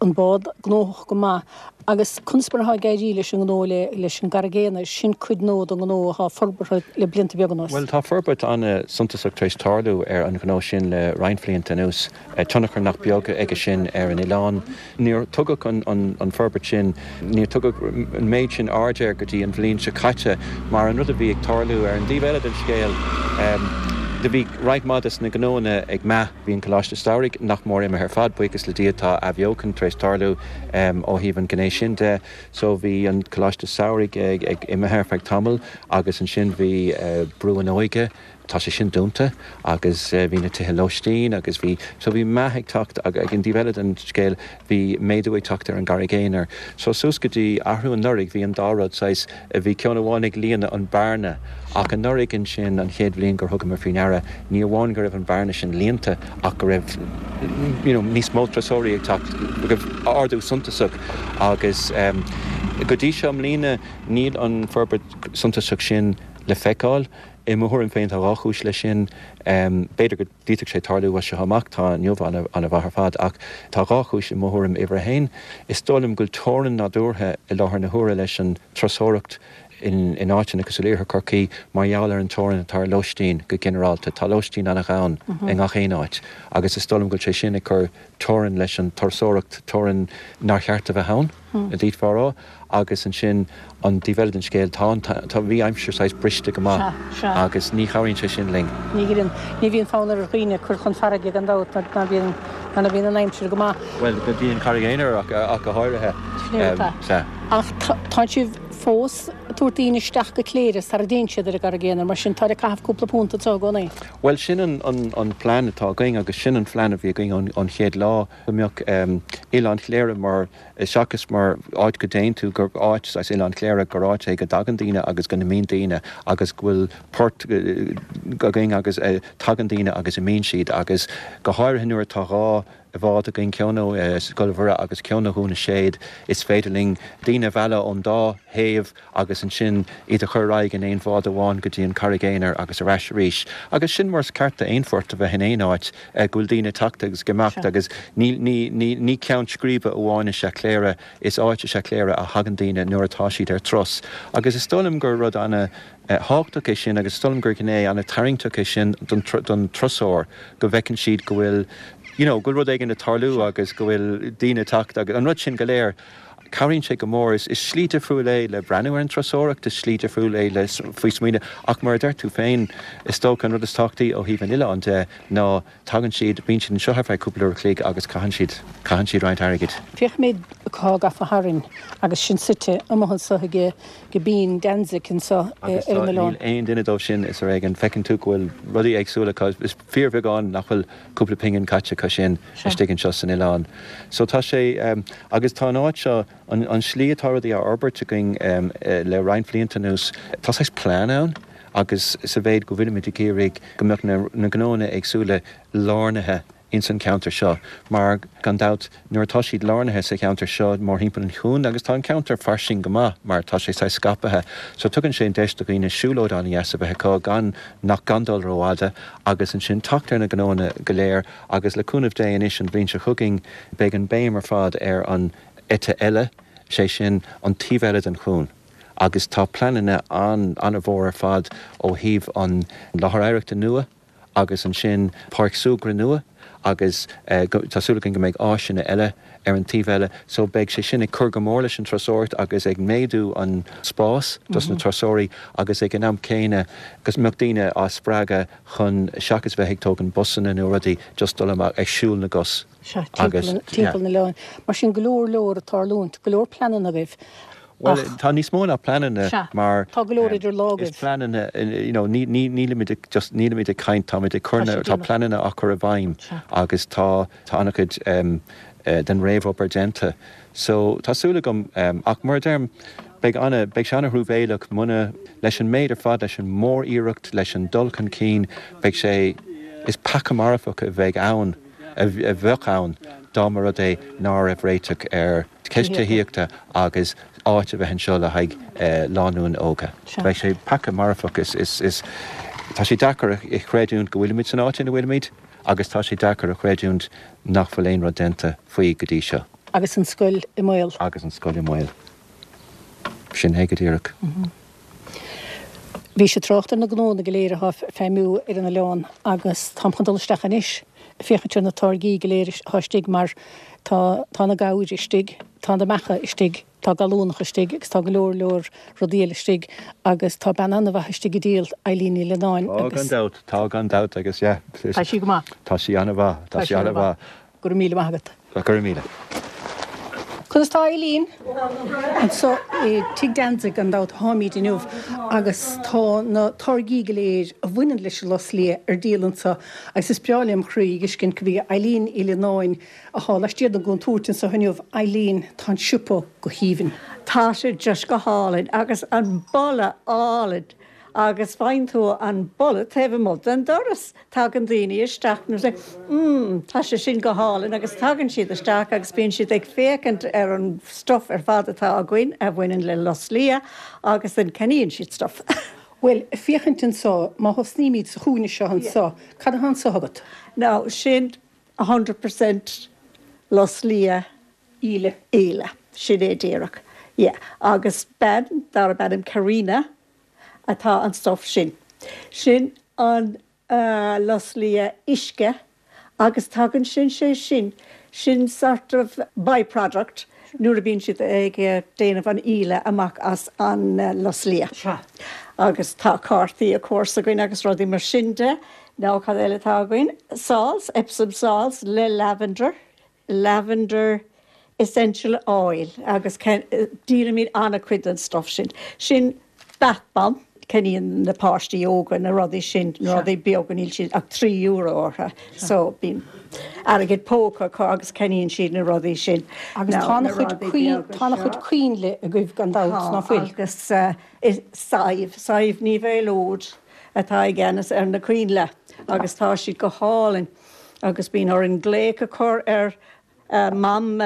an bád gnóthach go maith agus conas mar atá ag éirí leis an ngnó leis an gCarraig Aonair, sin cuid nua den ngnó atá forbartha le blianta beaga anuas. Bhuel, tá forbairt an-suntasach tar éis tarlú ar an ghnó sin le roinnt bhlianta anuas. Tionchar nach beag aige sin ar an oileán. Níor tugadh an forbairt sin, níor tugadh an méid sin aird air go dtí an bhliain seo caite mar an rud a bhí ag tarlú ar an dtaobh eile den scéal, do bhí roinnt mhaith des na gnóanna ag meath. Bhí an Coláiste Samhraidh nach mór imithe ar fad, buíochas le Dia tá athbheochan tar éis tarlú ó thaobh an ghné sin de. So bhí an Coláiste Samhraidh ag imithe ar feadh tamaill agus ansin bhí Brú an Óige, tá sé sin dúnta agus bhí na tithe lóistín agus bhí, so bhí meath ag teacht ag an dtaobh eile den scéal bhí méadú ag teacht ar an gCarraig Aonair. So suas go dtí athrú anuraidh bhí an dá rud saghas, bhí ceann amháin ag líonadh an bearna ach anuraidh ansin an chéad bhliain gur thugamar faoi ndeara ní amháin go raibh an bhearna sin líonta ach go raibh you know níos mó turasóirí ag teacht, go raibh ardú suntasach agus go dtí seo i mbliana níl an forbairt suntasach sin le feiceáil. I mo thuairim féin tá dhá chúis leis sin. B'fhéidir go. D'fhéadfadh sé tarlú as seo amach, tá inniu an-mhaith ar fad, ach tá dhá chúis i mo thuairim. Uimhir a haon, is dóigh liom go bhfuil teorainn nádúrtha i láthair na huaire leis an turasóireacht in áiteanna cosúil le Iarthar Chorcaí mar gheall ar an teorainn atá ar lóistín go ginearálta. Tá lóistín an-ghann i ngach aon áit agus is dóigh liom go bhfuil sé sin ag cur teorainn leis an turasóireacht, teorainn nár cheart a bheith ann, a d'fhéadfá a rá. Agus ansin, an taobh eile den scéal, tá an, tá, bhí aimsir saghas briste go maith Sea, sea. agus ní chabhraíonn sé sin linn. Ní ghireann, ní bhíonn fonn ar dhaoine cur chun farraige gan dabht nuair ná bíonn, nuair ná bíonn an aimsir go maith. Bhuel, go dtí an Charraig Aonair ach, ach go háirithe. Sin é atá. Sea. Ach tá, tá sibh fós ag tabhairt daoine isteach go Cléire sara dtéann siad ar an gCarraig Aonair, mar sin táid ag caitheamh cúpla punt anseo i gcónaí. Bhuel, sin an, an, an plean atá againn agus sin an phlean a bhí againn ón, ón chéad lá, go mbeadh Oileán Chléire mar, seachas mar áit go dtéann tú, gur áit, saghas Oileán Chléire, gur áit é go dtagann daoine agus go n-imíonn daoine agus go bhfuil port againn agus tagann daoine agus imíonn siad agus go háirithe nuair atá dhá. bhád againn, ceann ó Scoil Mhuire agus ceann ó Dhún na Séad, is féidir linn daoine a mhealladh ón dá thaobh agus ansin iad a chur ar aghaidh in aon bhád amháin go dtí an Charraig Aonair agus ar ais arís. Agus sin mar is ceart d'aon phort a bheith in aon áit, go bhfuil daoine ag teacht agus ag imeacht agus ní, ní, ní, ní ceann scríbe amháin is ea Cléire, is áit is ea Cléire a thagann daoine nuair atá siad ar turas. Agus is dóigh liom gur rud ana thábhachtach é sin agus is dóigh liom gur gné ana tarraingteach é sin don, don turasóir, go bhfeiceann siad go bhfuil, you know, go bhfuil rud éigin ag tarlú agus go bhfuil daoine ag teacht agus an rud sin go léir. Cabhraíonn sé go mór. Is slí difriúil é le breathnú ar an turasóireacht, is slí difriúil é le faoi smaoineamh ach mar a deir tú féin, is dócha an rud is tábhachtaí ó thaobh an oileáin de ná tagann siad, bíonn siad anseo ar feadh cúpla uair a chloig agus caitheann siad, caitheann siad roinnt airgid. Féachaimid cá gafa tharainn agus sinn suite amuigh anseo ag Bean Danzig anseo ar Agus tá, an oileán. níl aon duine dóibh sin is ar éigean, feiceann tú go bhfuil rudaí éagsúla acu, is fíorbheagán nach bhfuil cúpla pingin caite acu sin istigh anseo san oileán. So tá sé, agus tá an áit seo, an slí atá rudaí á fhorbairt againn le roinnt bhlianta anuas, tá saghas plean ann agus sa mhéid go bhfuilimid ag iarraidh go mbeadh na gnóanna éagsúla lárnaithe ins an cheantar seo mar, gan dabht, nuair atá siad lárnaithe sa cheantar seo mórthimpeall an chuain, agus tá an ceantar fairsing go maith mar tá sé saghas scaipthe, so tugann sé an deis do dhaoine siúlóid an-dheas a bheith acu gan, nach, gan dul rófhada agus ansin teacht ar na gnóanna go léir agus le cúnamh Dé anois an bhliain seo chugainn beidh an béim ar fad ar an eite eile, sé sin an taobh eile den chuan agus tá pleananna an-mhór ar fad ó thaobh an láthair oidhreachta nua, agus ansin páirc súgartha nua agus tá súil againn go mbeidh áiseanna eile ar an taobh eile so beidh sé sin ag cur go mór leis an turasóireacht agus ag méadú an spás dos na turasóirí agus ag an am céanna go mbeadh daoine á spreagadh chun seachas bheith ag tógaint busanna nó rudaí just dul amach ag siúl na gcos. Sea, timpeall an oileáin. Mar sin go leor leor ag tarlúint, go leor pleananna agaibh. Bhuel, tá níos mó ná pleananna mar. Tá go leor idir lámha agaibh. Is pleananna, you know, ní, ní, nílimid ag just, nílimid ag caint, táimid ag cur na, tá pleananna á cur i bhfeidhm agus tá, tá an-chuid den réamhobair déanta. So, tá súil agam, ach mar a deirim, beidh ana, beidh sé ana-thruamhéileach muna, leis an méid ar fad, leis an mór-iarracht, leis an dul chun cinn, beidh sé, is peaca marfach a bheidh ann, a bheadh ann dá mba rud é ná raibh réiteach ar cheist tithíochta agus áit a bheith anseo le haghaidh lánúin óga. Bheadh sé peaca marfach. Is tá sé deacair a chreidiúint go bhfuilimid san áit ina bhfuilimid agus tá sé deacair a chreidiúint nach bhfuil aon rud déanta faoi go dtí seo. Agus an scoil i mbaol. Agus an scoil i mbaol. Sin é go díreach. Bhís ag trácht ar na gnónna go léir atá ag feidhmiú ar an oileán agus táim chun dul isteach anois ag féachaint ar na táirgí go léir atá istigh mar tá tá na gabhair istigh, tá na beacha istigh, tá gallúnach istigh agus tá go leor leor rudaí eile istigh agus tá bean an-mhaith istigh ag díol, Eileen Ní Leannáin Tá agus. gan dabht, tá gan dabht agus yeah. Tá sí go maith. Tá sí an-mhaith, tá sí an-mhaith. Go raibh míle maith agat. Go raibh míle. Conas tá Eileen? Anseo i Tigh Danzig gan dabht atáimid inniu agus tá na táirgí go léir a bhaineann leis an lus liath ar díol anseo agus is breá lem chroí a dh'fheiscint gurb í Eileen Uí Leannáin atá laistiar den gcontúirt anseo inniu. Eileen, tá an siopa go haoibhinn. Tá sé just go hálainn agus an boladh álainn. Agus faigheann tú an boladh taobh amuigh den doras. Tagann daoine isteach and say, mm, tá sé sin go hálainn agus tagann siad isteach agus bíonn siad ag féachaint ar an stuff ar fad atá againn a bhaineann le lus liath agus then ceannaíonn siad stuff. Bhuel, féachaint anseo, má thosnaímid sa chúinne seo anseo, cad atá anseo agat? Now, sin 100% lus liath Íle. Íle, sin é díreach. Yeah. Agus bean darb ainm Karina atá an stuff sin. Sin an lus liath uisce agus tagann sin sé sin, sin sort of by-product nuair a bíonn siad ag déanamh an íle amach as an lus liath. Sea. Agus tá cártaí of course againn agus rudaí mar sin de. Now cad eile atá againn? Salts, Epsom salts le lavender. lavender essential oil agus díolaimid an-chuid den stuff sin. Sin bath bomb, ceannaíonn na páistí óga na rudaí sin, na rudaí beaga, níl siad ach €3 orthu so bíonn airgead póca acu agus ceannaíonn siad na rudaí sin. Agus tá an-chuid tá an-chuid coinnle agaibh gan dabht, ná fuil? Tá agus is Sadhbh, Sadhbh Ní Mhaolóid atá i gceannas ar na coinnle agus tá siad go hálainn. Agus bíonn orainn glaoch a chur ar Mam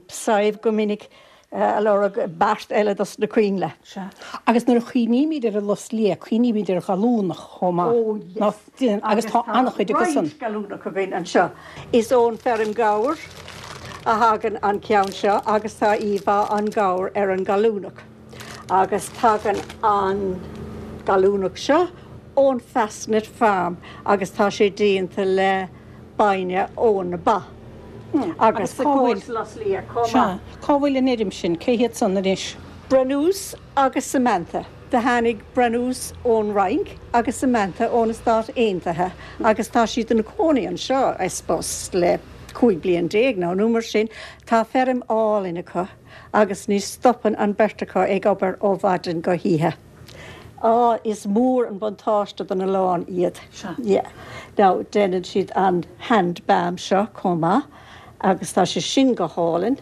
Sadhbh go minic a lorg beart eile dos na coinnle. Sea. Agus nuair a chuimhnímid ar an lus liath, cuimhnímid ar ghallúnach chomh maith. Oh yes. Agus tá an-chuid acu san. Roinnt gallúnach againn anseo. Is ón feirm gabhair a thagann an ceann seo agus tá íomhá an ghabhair ar an gallúnach. Agus tagann an gallúnach seo ón Fastnet Farm agus tá sé déanta le bainne ó na ba. Agus cá bhfuil, sea, cá bhfuil an fheirm sin, cé hiad san anois? Brennus agus Samantha. Do tháinig Brennus ón Fhrainc agus Samantha ó na Stáit Aontaithe agus tá siad ina cónaí anseo, I suppose, le 15 bliain nó nó mar sin. Tá feirm álainn acu agus ní stopann an beirt acu ag obair ó mhaidin go hoíche. Á, is mór an buntáiste don oileán iad. Sea. Yeah. Now, déanann siad an hand balm seo chomh maith agus tá sé sin go hálainn.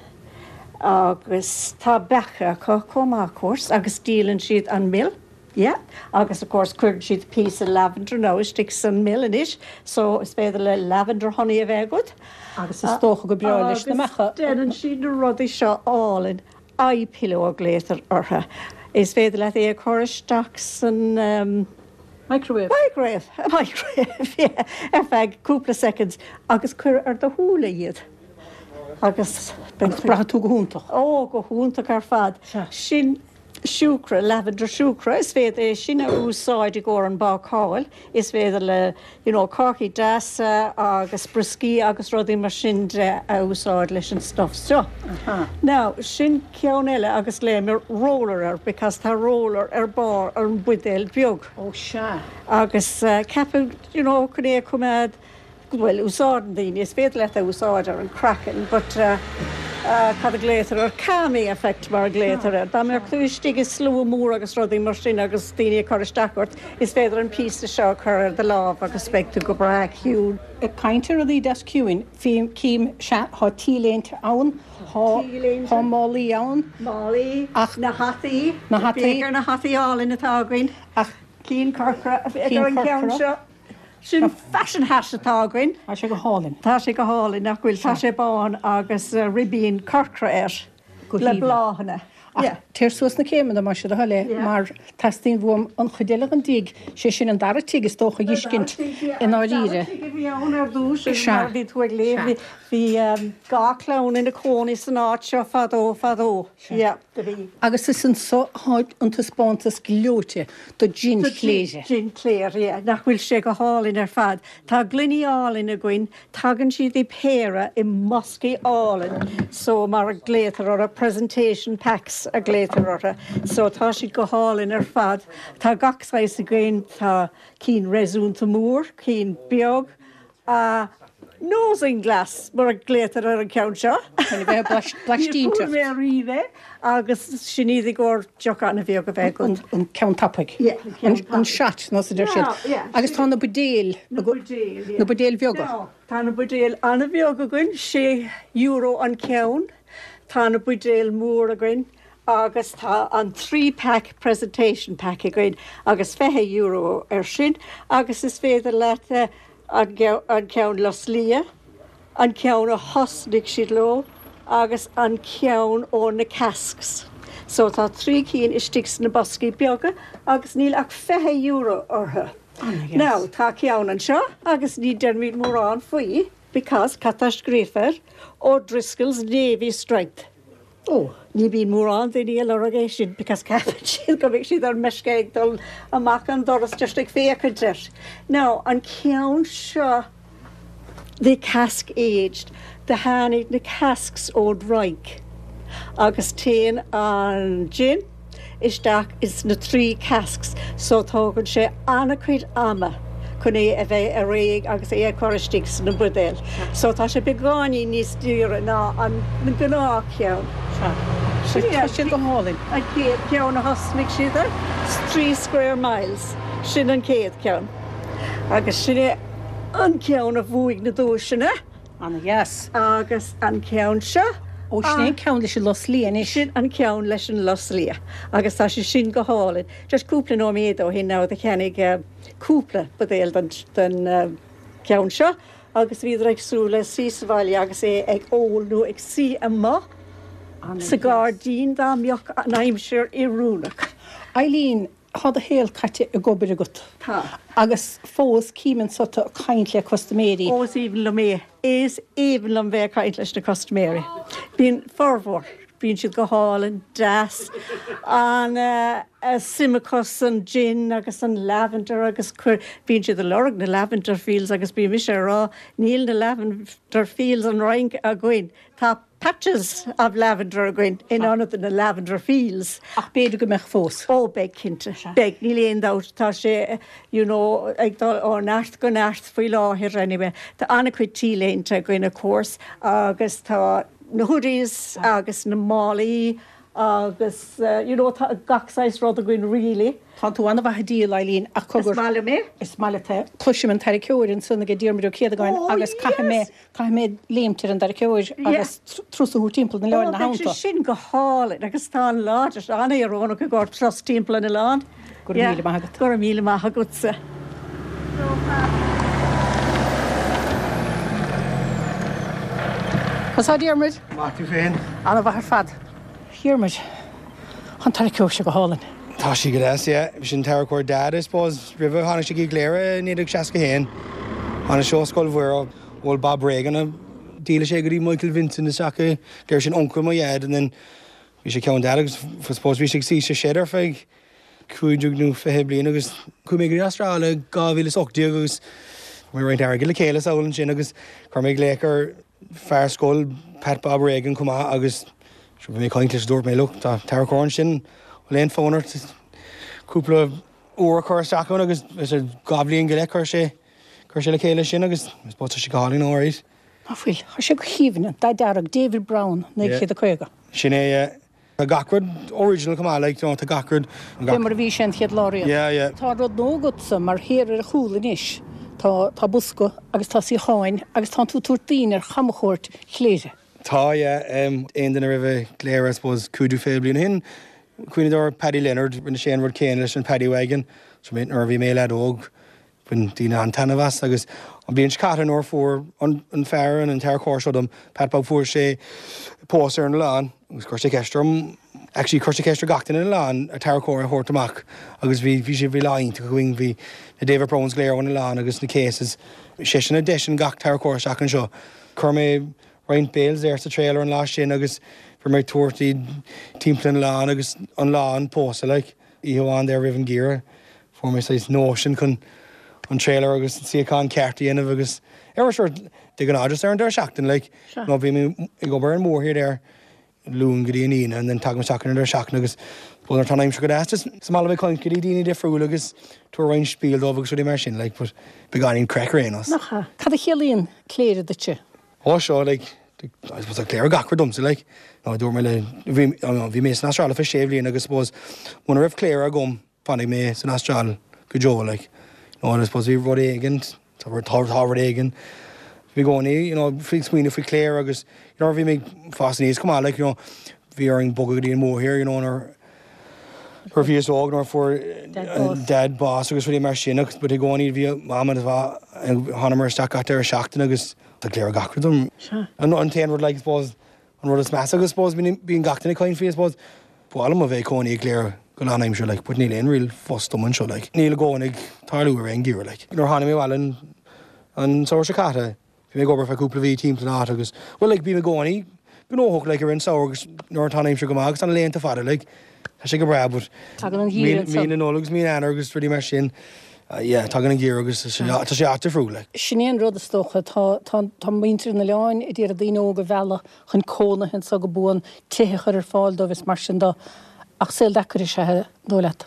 Agus tá beacha acu chomh maith, of course, agus díolann siad an mil. Yeah. Agus of course cuireann siad píosa lavender now istigh san mil anois so is féidir le lavender honey a bheith agat. Agus is dócha go breá leis na beacha. Agus déanann siad na rudaí seo álainn. Eye pillow a ghlaotar orthu. Is féidir leat é a chur isteach san. Microwave. Microwave, microwave, yeah, ar feadh cúpla seconds agus cuir ar do shúile iad agus beidh tú. Braithfidh tú go hiontach. Ó, go hiontach ar fad. Sea. Sin siúcra, lavender siúcra, is féidir é sin a úsáid i gcomhair an bácáil. Is féidir le you know cácaí deasa agus brioscaí agus rudaí mar sin de a úsáid leis an stuff seo. Now, sin ceann eile agus glaoimid roller air because tá roller ar barr an buidéal beag. Ó sea. Agus ceapadh you know chun é a choimeád bhuel, úsáideann daoine, is féidir leat é a úsáid ar an craiceann but cad a glaotar air, calming effect mar a glaotar air. Dá mbeadh tú istigh i slua mór agus rudaí mar sin agus daoine ag cur isteach ort, is féidir an píosa seo a chur ar do lámh agus beidh tú go breá ciúin. Ag caint ar rudaí deas ciúin, cím, sea, tá t-léinte ann, tá málaí ann. Málaí, ach na hataí, na hataí, féach ar na hataí álainn atá againn. Ach cinn corcra, féach ar an gceann seo. Sin fashion hat atá againn. Tá sé go hálainn. Tá sé go hálainn, nach bhfuil? Tá sé bán agus ribín corcra air le bláthanna. Ach téir suas na céimeanna, más é do thoil é, mar teastaíonn uaim an chuid eile den dtigh, sé sin an dara tigh is dócha a dh'fheiscint i ndáiríre. An dara tigh a bhí ann ar dtús, mar a bhí tú ag léamh, bhí dhá chlann ina cónaí san áit seo fadó fadó. Yeah, do bhí. Agus is anso atá an taispeántas gleoite do Jin Chléire. Jin Chléire, yeah. Nach bhfuil sé go hálainn ar fad. Tá gloiní álainn againn, tagann siad i péire i mboscaí álainn, so mar a glaotar orthu, presentation packs a glaotar orthu. So tá siad go hálainn ar fad. Tá gach saghas againn, tá cinn réasúnta mór, cinn beag, A nosing glass, mar a glaotar ar an cheann seo. Chun a bheith ag blaistínteacht. Níor fuair mé ariamh é agus sin iad i gcomhair deoch an-bheag a bheith agat. An ceann tapaidh. Yeah, an ceann tapaidh. An shot, nó a deir siad. Yeah, yeah. Agus tá na buidéil. Na buidéil, yeah. Na buidéil bheaga. Now, tá na buidéil an-bheag againn, €6 an ceann. Tá na buidéil mór againn agus tá an 3 pack presentation pack againn agus €20 ar sin agus is féidir leat an ceann lus liath, an ceann a thosnaigh siad leo agus an ceann ó na casks. So tá 3 cinn istigh sna boscaí beaga agus níl ach €20 orthu. Now tá ceann anseo agus ní deirimid mórán faoi because cad tá scríofa air? O'Driscoll's Navy Strength. Ó, ní bhíonn mórán daoine ag lorg é sin because ceapann siad go mbeidh siad ar meisce ag dul amach an doras just ag féachaint air. Now, an ceann seo, the cask aged, do tháinig na casks ón Fhrainc agus téann an gin isteach ins na 3 casks so tógann sé an-chuid ama chun é a bheith réidh agus é a chur istigh sna buidéil. So tá sé beagáinín níos daoire ná an gnáth cheann. Sea. Tá siad go hálainn. An chéad cheann a thosnaigh siad air, 3 square miles, sin an chéad cheann. Agus sin é an ceann a bhuaigh na duaiseanna. Ana-dheas. Agus an ceann seo. Ó, sin é an ceann leis an lus liath anois. Sin an ceann leis an lus liath. Agus tá sé sin go hálainn. Just cúpla nóiméad ó shin now do cheannaigh cúpla buidéal den, den ceann seo. agus bhíodar ag súil le suí sa bhaile agus é ag ól nó ag suí amuigh sa ghairdín dá mbeadh an aimsir oiriúnach. Eileen, Tá do shaol caite ag obair agat. Tá. Agus fós cím anso tú ag caint le custaiméirí. Ó is aoibhinn liom é. Is aoibhinn liom bheith ag caint leis na custaiméirí. Bíonn formhór, bíonn siad go hálainn, deas, an suim acu san gin agus an lavender agus cuir, bíonn siad ag lorg na lavender fields agus bíonn mise ag rá níl na lavender fields an Fhrainc againn. Tá patches of lavender againn in ionad na lavender fields. Ach b'fhéidir go mbeadh fós. Ó beidh cinnte. Beidh, níl aon dabht. Tá sé you know ag dul ó neart go neart faoi láthair anyway. Tá an-chuid T-léinte againn of course agus tá na hoodies agus na málaí agus you know tá gach saghas rud againn really. Tá tú an-mhaith ag díol, Eileen, ach cogar. Is maith liom é. Is maith leat é. Cloisim an tarraiceoir ansan ag Diarmuid Ó Céadagáin agus caithfidh mé Caithfidh mé léimt ar an dtarraiceoir agus turas a thabhairt timpeall an oileáin ina theannta. Ó, beidh sé sin go hálainn agus tá an lá an-oiriúnach i gcomhair turas timpeall an oileáin. Go raibh míle maith agat. Go raibh míle maith agatsa. Conas tá Diarmuid? Maith tú féin? An-mhaith ar fad. Diarmuid, tá an tarraiceoir seo go hálainn. Tá sí go deas, yeah. Sin tarraiceoir Dad, I suppose, roimhe tháinig sé go Cléire i 1961. Tháinig sé ó Scoil Mhuire, bhuel Bob Regan a dhíoladh sé go dtí Michael Vincent isteach i gCléire, sin uncail mo Dhaid and then bhí sé ceann Dad agus I suppose bhí sé ag suí sa shed ar feadh 25 nó 20 bliain agus chuaigh mé go dtí Astráil i 2018 agus chuir mé roinnt airgid le chéile sall ansin agus chuir mé glaoch ar fear scoil Pat Bob Regan chomh maith agus sure bhí mé ag caint leis dúirt mé look tá tarracóir ansin bhfuil aon fonn ort cúpla uair a chur isteach ann agus dhá bhliain go leith chuir sé chuir sé le chéile sin agus I suppose tá sé go hálainn alright. Ná fuil, tá sé go haoibhinn, an dath dearg, David Brown, 1950. Sin é, yeah. Tá gach rud original chomh maith, like, you know, tá gach rud. Fé mar a bhí sé an chéad lá riamh. Yeah, yeah. Tá rud nua agatsa mar thiar ar a chúl anois, tá, tá bosca agus tá suíocháin agus tánn tú ag tabhairt daoine ar chamchuairt Chléire. Tá, yeah. Aon duine a raibh i gCléire, I suppose, cúigiú fiche bliain ó shin, cuimhneodar ar Paddy Leonard, rinne sé an rud céanna leis an Paddy Wagon. So nuair a bhí mé i leaid óg, Bhain daoine an-taitneamh as agus an bhliain seo caite nuair a fuair an fear an tarracóir seo dom, Pat Bob, fuair sé post ar an oileán agus chuir sé ceist orm, actually chuir sé ceist ar gach duine ar an oileán an tarracóir a thabhairt amach agus bhí, bhí sé, bhí lá iontach againn, bhí na David Browns go léir ón oileán agus na Cases, seisean a d'eisigh gach tarracóir isteach anseo. Chuir mé roinnt bales air sa trailer an lá sin agus bhí mé ag tabhairt iad timpeall an oileáin agus an lá an pósadh like, oíche amháin there roimh an gheimhreadh. Fuair mé saghas notion chun an trailer agus an suíochán ceart a dhéanamh agus ar sure de ghnáth just ar an deireadh seachtaine like nó bhí mé ag obair ar an mórthír there Luan go dtí an Aoine and then tagaim isteach ar an deireadh seachtaine agus well nuair atá an aimsir go deas just is maith liom ag caint go dtí daoine difriúil agus tabhair roinnt spiel dóibh agus rudaí mar sin like but beagáinín craic ar aon nós. Nach ea? Cad a chiallaíonn Cléire duitse? Ó seo like I suppose tá Cléire gach rud domsa like nó dúirt mé le bhí bhí mé san Astráil ar feadh sé bhliain agus suppose muna raibh Cléire agam fanfaidh mé san Astráil go deo like you know and I suppose bhí rud éigin tá tá tá rud éigin bhí i gcónaí you know faoi smaoineamh faoi Cléire agus you know bhí mé ag fás aníos chomh maith like you know bhí orainn bogadh go dtí an mórthír you know nuair nuair a bhíos óg nuair a fuair Dad bás agus rudaí mar sin agus but i gcónaí bhí Mam agus thánamar isteach gach deireadh seachtaine agus tá Cléire gach rud dom. An t-aon rud like I suppose an rud is measa agus I suppose bíonn gach duine ag caint faoi I suppose ba mhaith liom a bheith ag cónaí i gCléire go lánaimseartha like but níl aon real phost dom anseo like níl i gcónaí ag tarlú ar aon gheimhreadh like. Nuair a tháinig mé abhaile an an samhradh seo caite bhí mé ag obair feadh cúpla mhí timpeall an áit agus well like bím i gcónaí gnóthach like ar an samhradh agus nuair atá an aimsir go maith agus tá na laethanta fada like tá sé go breá but Tagann an geimhreadh ansan. Mí na Nollag agus mí Eanáir agus rudaí mar sin yeah tagann an geimhreadh agus tá sé an-difriúil like. Sin é an rud is dócha, tá tá tá muintir an oileáin ag iarraidh daoine óga a mhealladh chun cónaithe anso go buan, tithe a chur ar fáil dóibh is mar sin de ach saol deacair is ea é, an dóigh leat?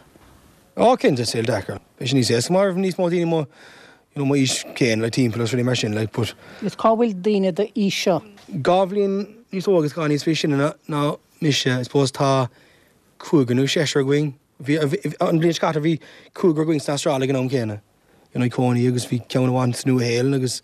Ó cinnte, saol deacair. Beidh sé níos éasca má raibh níos mó daoine mo you know mo aois céanna like timpeall agus rudaí mar sin like but. Agus cá bhfuil daoine d'aois seo? Dhá bhliain níos óige agus dhá níos sine ná ná mise I suppose tá cúigear nó seisear againn. Bhí an bhliain seo caite bhí cúigear againn san Astráil ag an am céanna. You know, ag cónaí agus bhí ceann amháin sa Nua-Shéalainn agus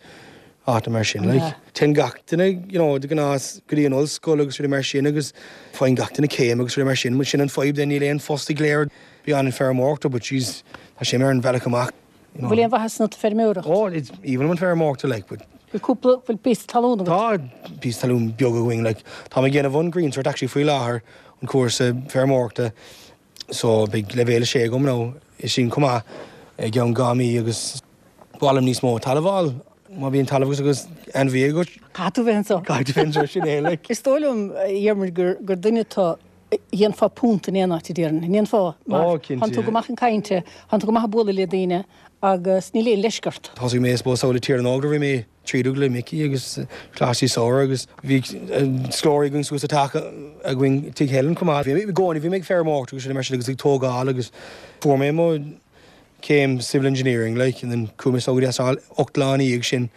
áiteanna mar sin. Like, téann gach duine, you know, de ghnáth go dtí an ollscoil agus rudaí mar sin agus faigheann gach duine céim agus rudaí mar sin. Sin an fadhb then, níl aon phost i gCléire. Bhí an feirmeoireacht but jeez, tá sé ar an bhealach amach. You know. Bhfuil aon mhaitheas ionat feirmeoireacht? Oh, it's aoibhinn liom an feirmeoireacht like, but. Bhfuil cúpla, bhfuil píosa talún agat? Tá píosa talún beag againn, like. Táim ag déanamh an Green Cert actually faoi láthair, an cúrsa feirmeoireachta, so beidh leibhéal 6 agam now, sin chomh maith, i gceann 2 mí agus ba mhaith liom níos mó talamh a fháil, má bhíonn talamh agat agus ainmhí agat. Caithfidh tú bheith anseo. Caithfidh tú bheith anseo, sin é, like. Is dóigh liom, a Dhiarmuid, gur, gur duine tú dhéanfá punt in aon áit, a déarfainn. An ndéanfá? Mar Ó, cinnte. Tánn tú go maith chun cainte, tánn tú go maith ag bualadh le daoine agus níl aon leisce ort. Thosaigh mé, I suppose, thall i Tír na nÓg nuair a bhí mé trídóg le Mickey agus Coláiste Samhraidh agus bhí scoláirí againn suas sa teach againn, Tigh Helen chomh maith. Bhí mé i gcónaí, bhí mé ag feirmeoireacht agus mar sin agus ag tógáil agus fuair mé mo chéim civil engineering like and then chuaigh mé go dtí an Astráil 8 lá ina dhiaidh sin.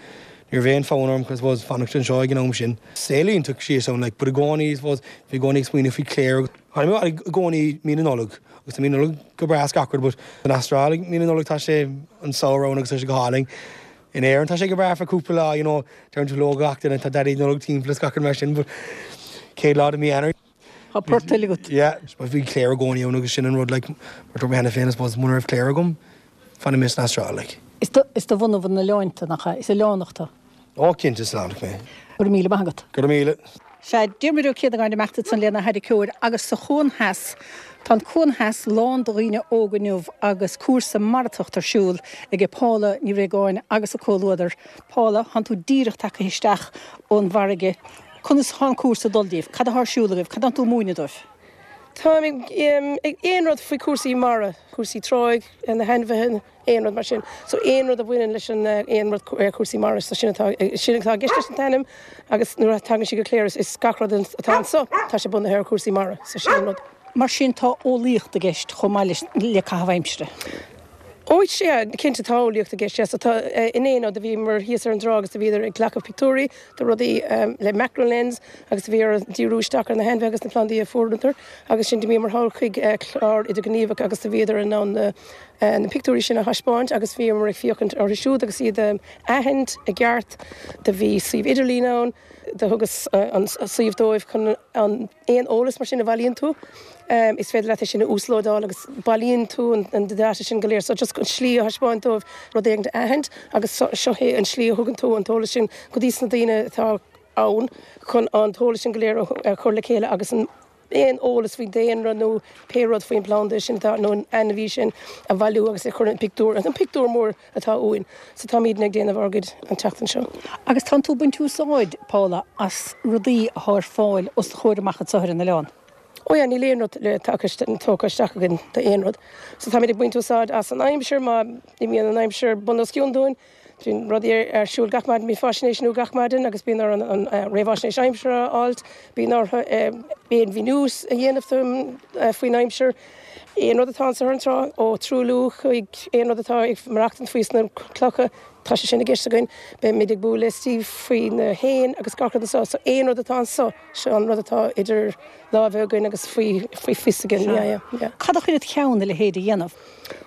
Ní raibh aon fonn orm I suppose fanacht anseo ag an am sin. Saol iontach síos ann like but i gcónaí I suppose bhí i gcónaí ag smaoineamh faoi Cléire. Tháinig mé i gcónaí mí na Nollag agus tá mí na Nollag go breá is gach rud but san Astráil ag mí na Nollag tá sé an samhradh ann agus tá sé go hálainn. In Éirinn tá sé go breá for cúpla lá you know deireann tú hello gach duine tá Daidí Nollag timpeall is gach rud mar sin but céad lá de mí Eanáir Tá port eile agat. Yeah, bhí Cléire i gcónaí ann agus sin an rud like mar dúirt mé cheana féin I suppose muna raibh Cléire agam fanfaidh mé san Astráil like. Is de bhunadh an oileáin tú, nach ea? Is oileánach tú. Ó cinnte is oileánach mé. Go raibh míle maith agat. Go raibh míle. Sea, Diarmuid Ó Céadagáin ag imeacht ansan lena tharraiceoir agus sa Chuan Theas, tá an Cuan Theas lán de dhaoine óga inniu agus cúrsa maratacht ar siúl aige Paula Ní Réagáin agus a comhluadar. Paula, thánn tú díreach tagtha isteach ón bhfarraige. Conas thá an cúrsa ag dul daoibh? Cad athá ar siúl agaibh? Cad thánn tú ag múineadh dóibh? Táim ag aon rud faoi cúrsaí mara, cúrsaí tráigh, na hainmhithe, aon rud mar sin. So aon rud a bhaineann leis an aon rud cúrsaí mara, so sin atá sin atá i gceist leis an t-ainm agus nuair a tagann sí go Cléire is gach rud atá anso tá sé bunaithe ar chúrsaí mara, so sin an rud. Mar sin tá eolaíocht i gceist chomh maith leis le caitheamh aimsire. Ó sea, cinnte tá eolaíocht i gceist, yeah. So tá inné nó do bhíomar thíos ar an dtrá agus do bhíodar ag glacadh pictiúirí de rudaí le macro lens agus do bhí orthu díriú isteach ar na hainmhithe agus na plandaí a fuaireadar agus sin d'imíomar thall chuig clár idirghníomhach agus do bhíodar in ann na na pictiúirí sin a thaispeáint agus bhíomar ag féachaint orthu siúd agus iad a aithint i gceart. Do bhí suíomh idirlín ann, do thugas an suíomh dóibh chun an. Aon eolas mar sin a bhailíonn tú, is féidir leat é sin a uaslódáil agus bailíonn tú an data sin go léir. So just an slí a thaispeáint dóibh rud éigin a aithint agus seo é an slí a thugann tú an t-eolas sin go dtí sna daoine atá ann chun an t-eolas sin go léir a chur le chéile agus an aon eolas faoin daonra nó pé rud faoin planda sin atá nó an ainmhí sin a bhailiú agus é a chur in pictiúr, an pictiúr mór atá uainn. So táimidne ag déanamh ár gcuid an tseachtain seo. Agus tánn tú ag baint úsáid, Paula, as rudaí athá ar fáil os do chomhair amach anso ar an oileán. Ó yeah, níl aon rud le tagtha, tógtha isteach againn d'aon rud. So táimid ag baint úsáid as an aimsir, má imíonn an aimsir bun os cionn dúinn, bíonn rudaí ar siúl gach maidin, bíonn faisnéis nua gach maidin agus bíonn orainn an réamhaisnéis aimsire a fháilt, bíonn orthu aon mhíniú a dhéanamh faoin aimsir. Aon rud atá anso ar an trá, ó truailliú chuig aon rud atá ag maireachtaint faoi sna clocha, tá sé sin i gceist againn. Beimid ag bualadh le Steve faoi na héin agus gach rud anso. So aon rud atá anso, seo an rud atá idir lámha againn agus faoi faoi fios againn. Yeah, yeah, yeah. Cad a chuir id cheann a leithéid a dhéanamh?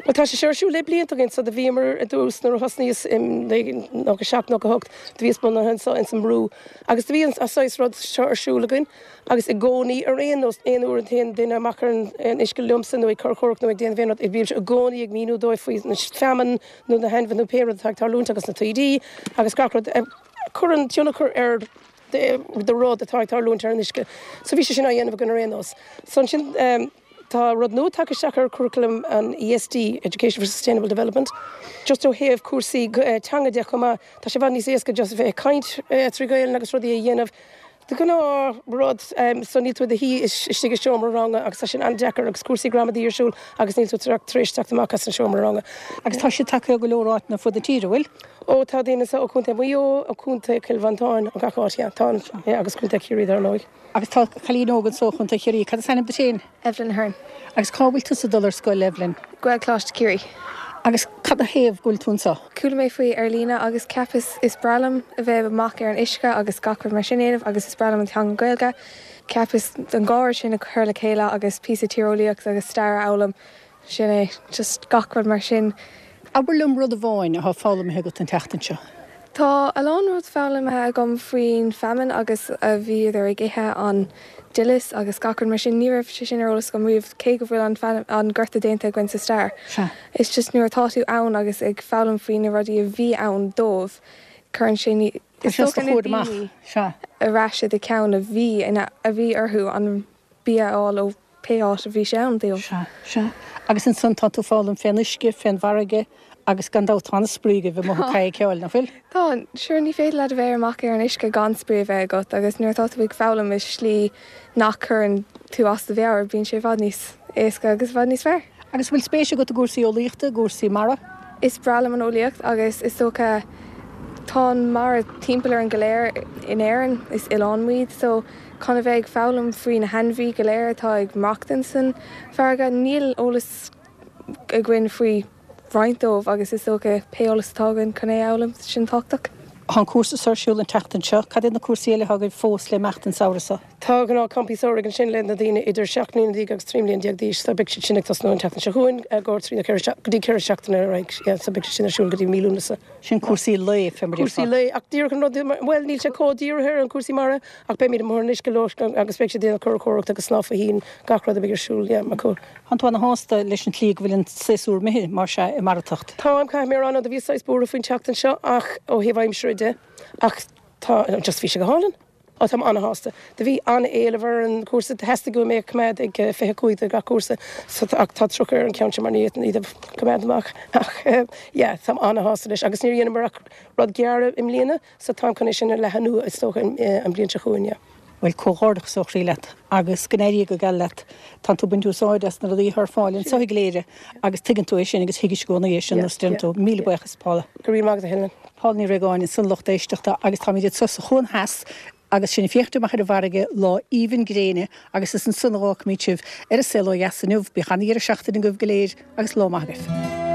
Bhuel tá sé seo ar siúl le blianta againn. So do bhíomar i dtús nuair a thosnaíos i 97, 98, do bhíos bunaithe anso ins an mBrú agus do bhí an saghas rud seo ar siúl againn. Agus i gcónaí, ar aon nós, aon uair a théann duine amach ar an uisce liomsa nó ag curachóireacht nó ag déanamh aon rud, bímse i gcónaí ag míniú dóibh faoi na feamainn nó na hainmhithe nó pé rud atá ag tarlúint agus na taoidí agus gach rud a chuireann tionchar ar do rud atá ag tarlúint ar an uisce. So bhí sé sin á dhéanamh againn ar aon nós. So ansin tá rud nua tagtha isteach ar curriculum an ESD, Education for Sustainable Development, just ó thaobh cúrsaí teanga de chomh maith. Tá sé i bhfad níos éasca just a bheith ag caint trí Ghaelainn agus rudaí a dhéanamh. De ghnáth rud so níl tú i do shuí istigh i seomra ranga agus tá sin an-deacair agus cúrsaí gramadaí ar siúl agus níl tú tar éis teacht amach as an seomra ranga. Agus tá siad tagtha ó go leor áiteanna ar fud na tíre, bhfuil? Ó tá daoine anseo ó Chontae Mhaigh Eo, ó Chontae Chill Mhantáin, ó gach áit, yeah, tá, yeah, agus Contae Chiarraí dar ndóigh. Agus tá cailín óg anseo ó Chontae Chiarraí, cad is ainm duit féin? Evelyn Ahern. Agus cá bhfuil tusa ag dul ar scoil, Evelyn? Gaelcholáiste Chiarraí. Agus cad a thaobh go bhfuil tú anseo? Chuala mé faoi ar líne agus cheapas is breá liom a bheith amach ar an uisce agus gach rud mar sin a dhéanamh agus is breá liom an teanga Gaeilge. Cheapas an dhá rud sin a chur le chéile agus píosa tíreolaíocht agus stair a fhoghlaim. Sin é, just gach rud mar sin. Abair liom rud amháin atá foghlamtha agat an tseachtain seo. Tá a lán rud foghlamtha agam faoin feamainn agus a bhíodar ag ithe an duileas agus gach rud mar sin. Ní raibh sé sin ar eolas agam riamh cé go bhfuil an an gorta déanta againn sa stair. Sea. It's just nuair atá tú ann agus ag foghlaim faoi na rudaí a bhí ann dóibh cuireann sé. Tá Is sé os dócha do na chomhair amach. daoine Sea. a raibh siad i gceann a bhí ina a bhí orthu an bia a fháil ó pé áit a bhí sé ann dóibh. Sea, sea. Agus ansan tá tú ag foghlaim fén uisce, fén bhfarraige agus gan dabht tá an-spraoi agaibh amuigh ag cadhcáil, nach bhfuil? Tá, sure ní féidir leat a bheith amach ar an uisce gan spraoi a bheith agat agus nuair atá tú ag foghlaim i slí nach cuireann tú as do mheabhair bíonn sé i bhfad níos éasca agus i bhfad níos fearr. Agus an bhfuil spéis agat i gcúrsaí eolaíochta, i gcúrsaí mara? Is breá liom an eolaíocht agus is dócha tá an mara timpeall orainn go léir in Éirinn, is oileán muid so chun a bheith ag foghlaim faoi na hainmhí go léir atá ag maireachtaint san farraige, níl eolas againn faoi roinnt dóibh agus is dócha pé eolas atá againn chun é a fhoghlaim, sin tábhachtach. Tá an cúrsa seo ar siúl an tseachtain seo. Cad iad na cúrsaí eile atá agaibh fós le imeacht an samhradh seo? Tá gnáth campaí samhraidh ansin le na daoine idir 17 mbliana agus 13 mbliana d'aois so beidh siad sin ag tosnú an tseachtain seo chugainn i gcomhair trí nó ceithre go dtí 4 seachtaine ar aghaidh yeah so beidh siad sin ar siúl go dtí mí Lúnasa. Sin cúrsaí lae fé mar a déarfá. Cúrsaí lae ach díreach an rud bhuel níl sé chomh dírithe ar an cúrsaí mara ach beimid amuigh ar an uisce leo agus beidh siad ag déanamh curachóireacht agus snámh faoi thoinn gach rud a bheidh ar siúl yeah acu. Tánn tú ana-shásta leis an tslí go bhfuil an séasúr imithe, mar sea, i mbarratacht. Táim, caithfidh mé a rá, nó do bhíos saghas buartha faoin tseachtain seo ach ó thaobh aimsire de, ach tá, just bhí sé go hálainn. Ó, táim ana-shásta. Do bhí an-éileamh ar an chúrsa, theastaigh uaim é a choimeád ag 25 do gach cúrsa, so ach tá 30 ar an cheann seo mar ní fhéadfainn iad a choimeád amach ach yeah, táim ana-shásta leis agus níor dheineamar ach rud gearr i mbliana so táim chun é sin a leathanú is dócha an bhliain seo chugainn, yeah. Bhuel, comhghairdeachas ó chroí leat agus go n-éirí go geal leat. Tánn tú ag baint úsáid as na rudaí atá ar fáil anseo i gCléire agus tuigeann tú é sin agus thuigis i gcónaí é sin nós deireann tú. Míle buíochas, Paula. Go raibh maith agat, a Helen. Paula Ní Réagáin ansan lucht éisteachta agus táimid anseo sa Chuan Theas agus sinn ag féachaint amach ar an bhfarraige, lá aoibhinn gréine agus is ansan a dh'fhágfaimid sibh ar an Saol Ó Dheas inniu. Bíodh ana-dheireadh seachtaine agaibh go léir agus lá maith agaibh.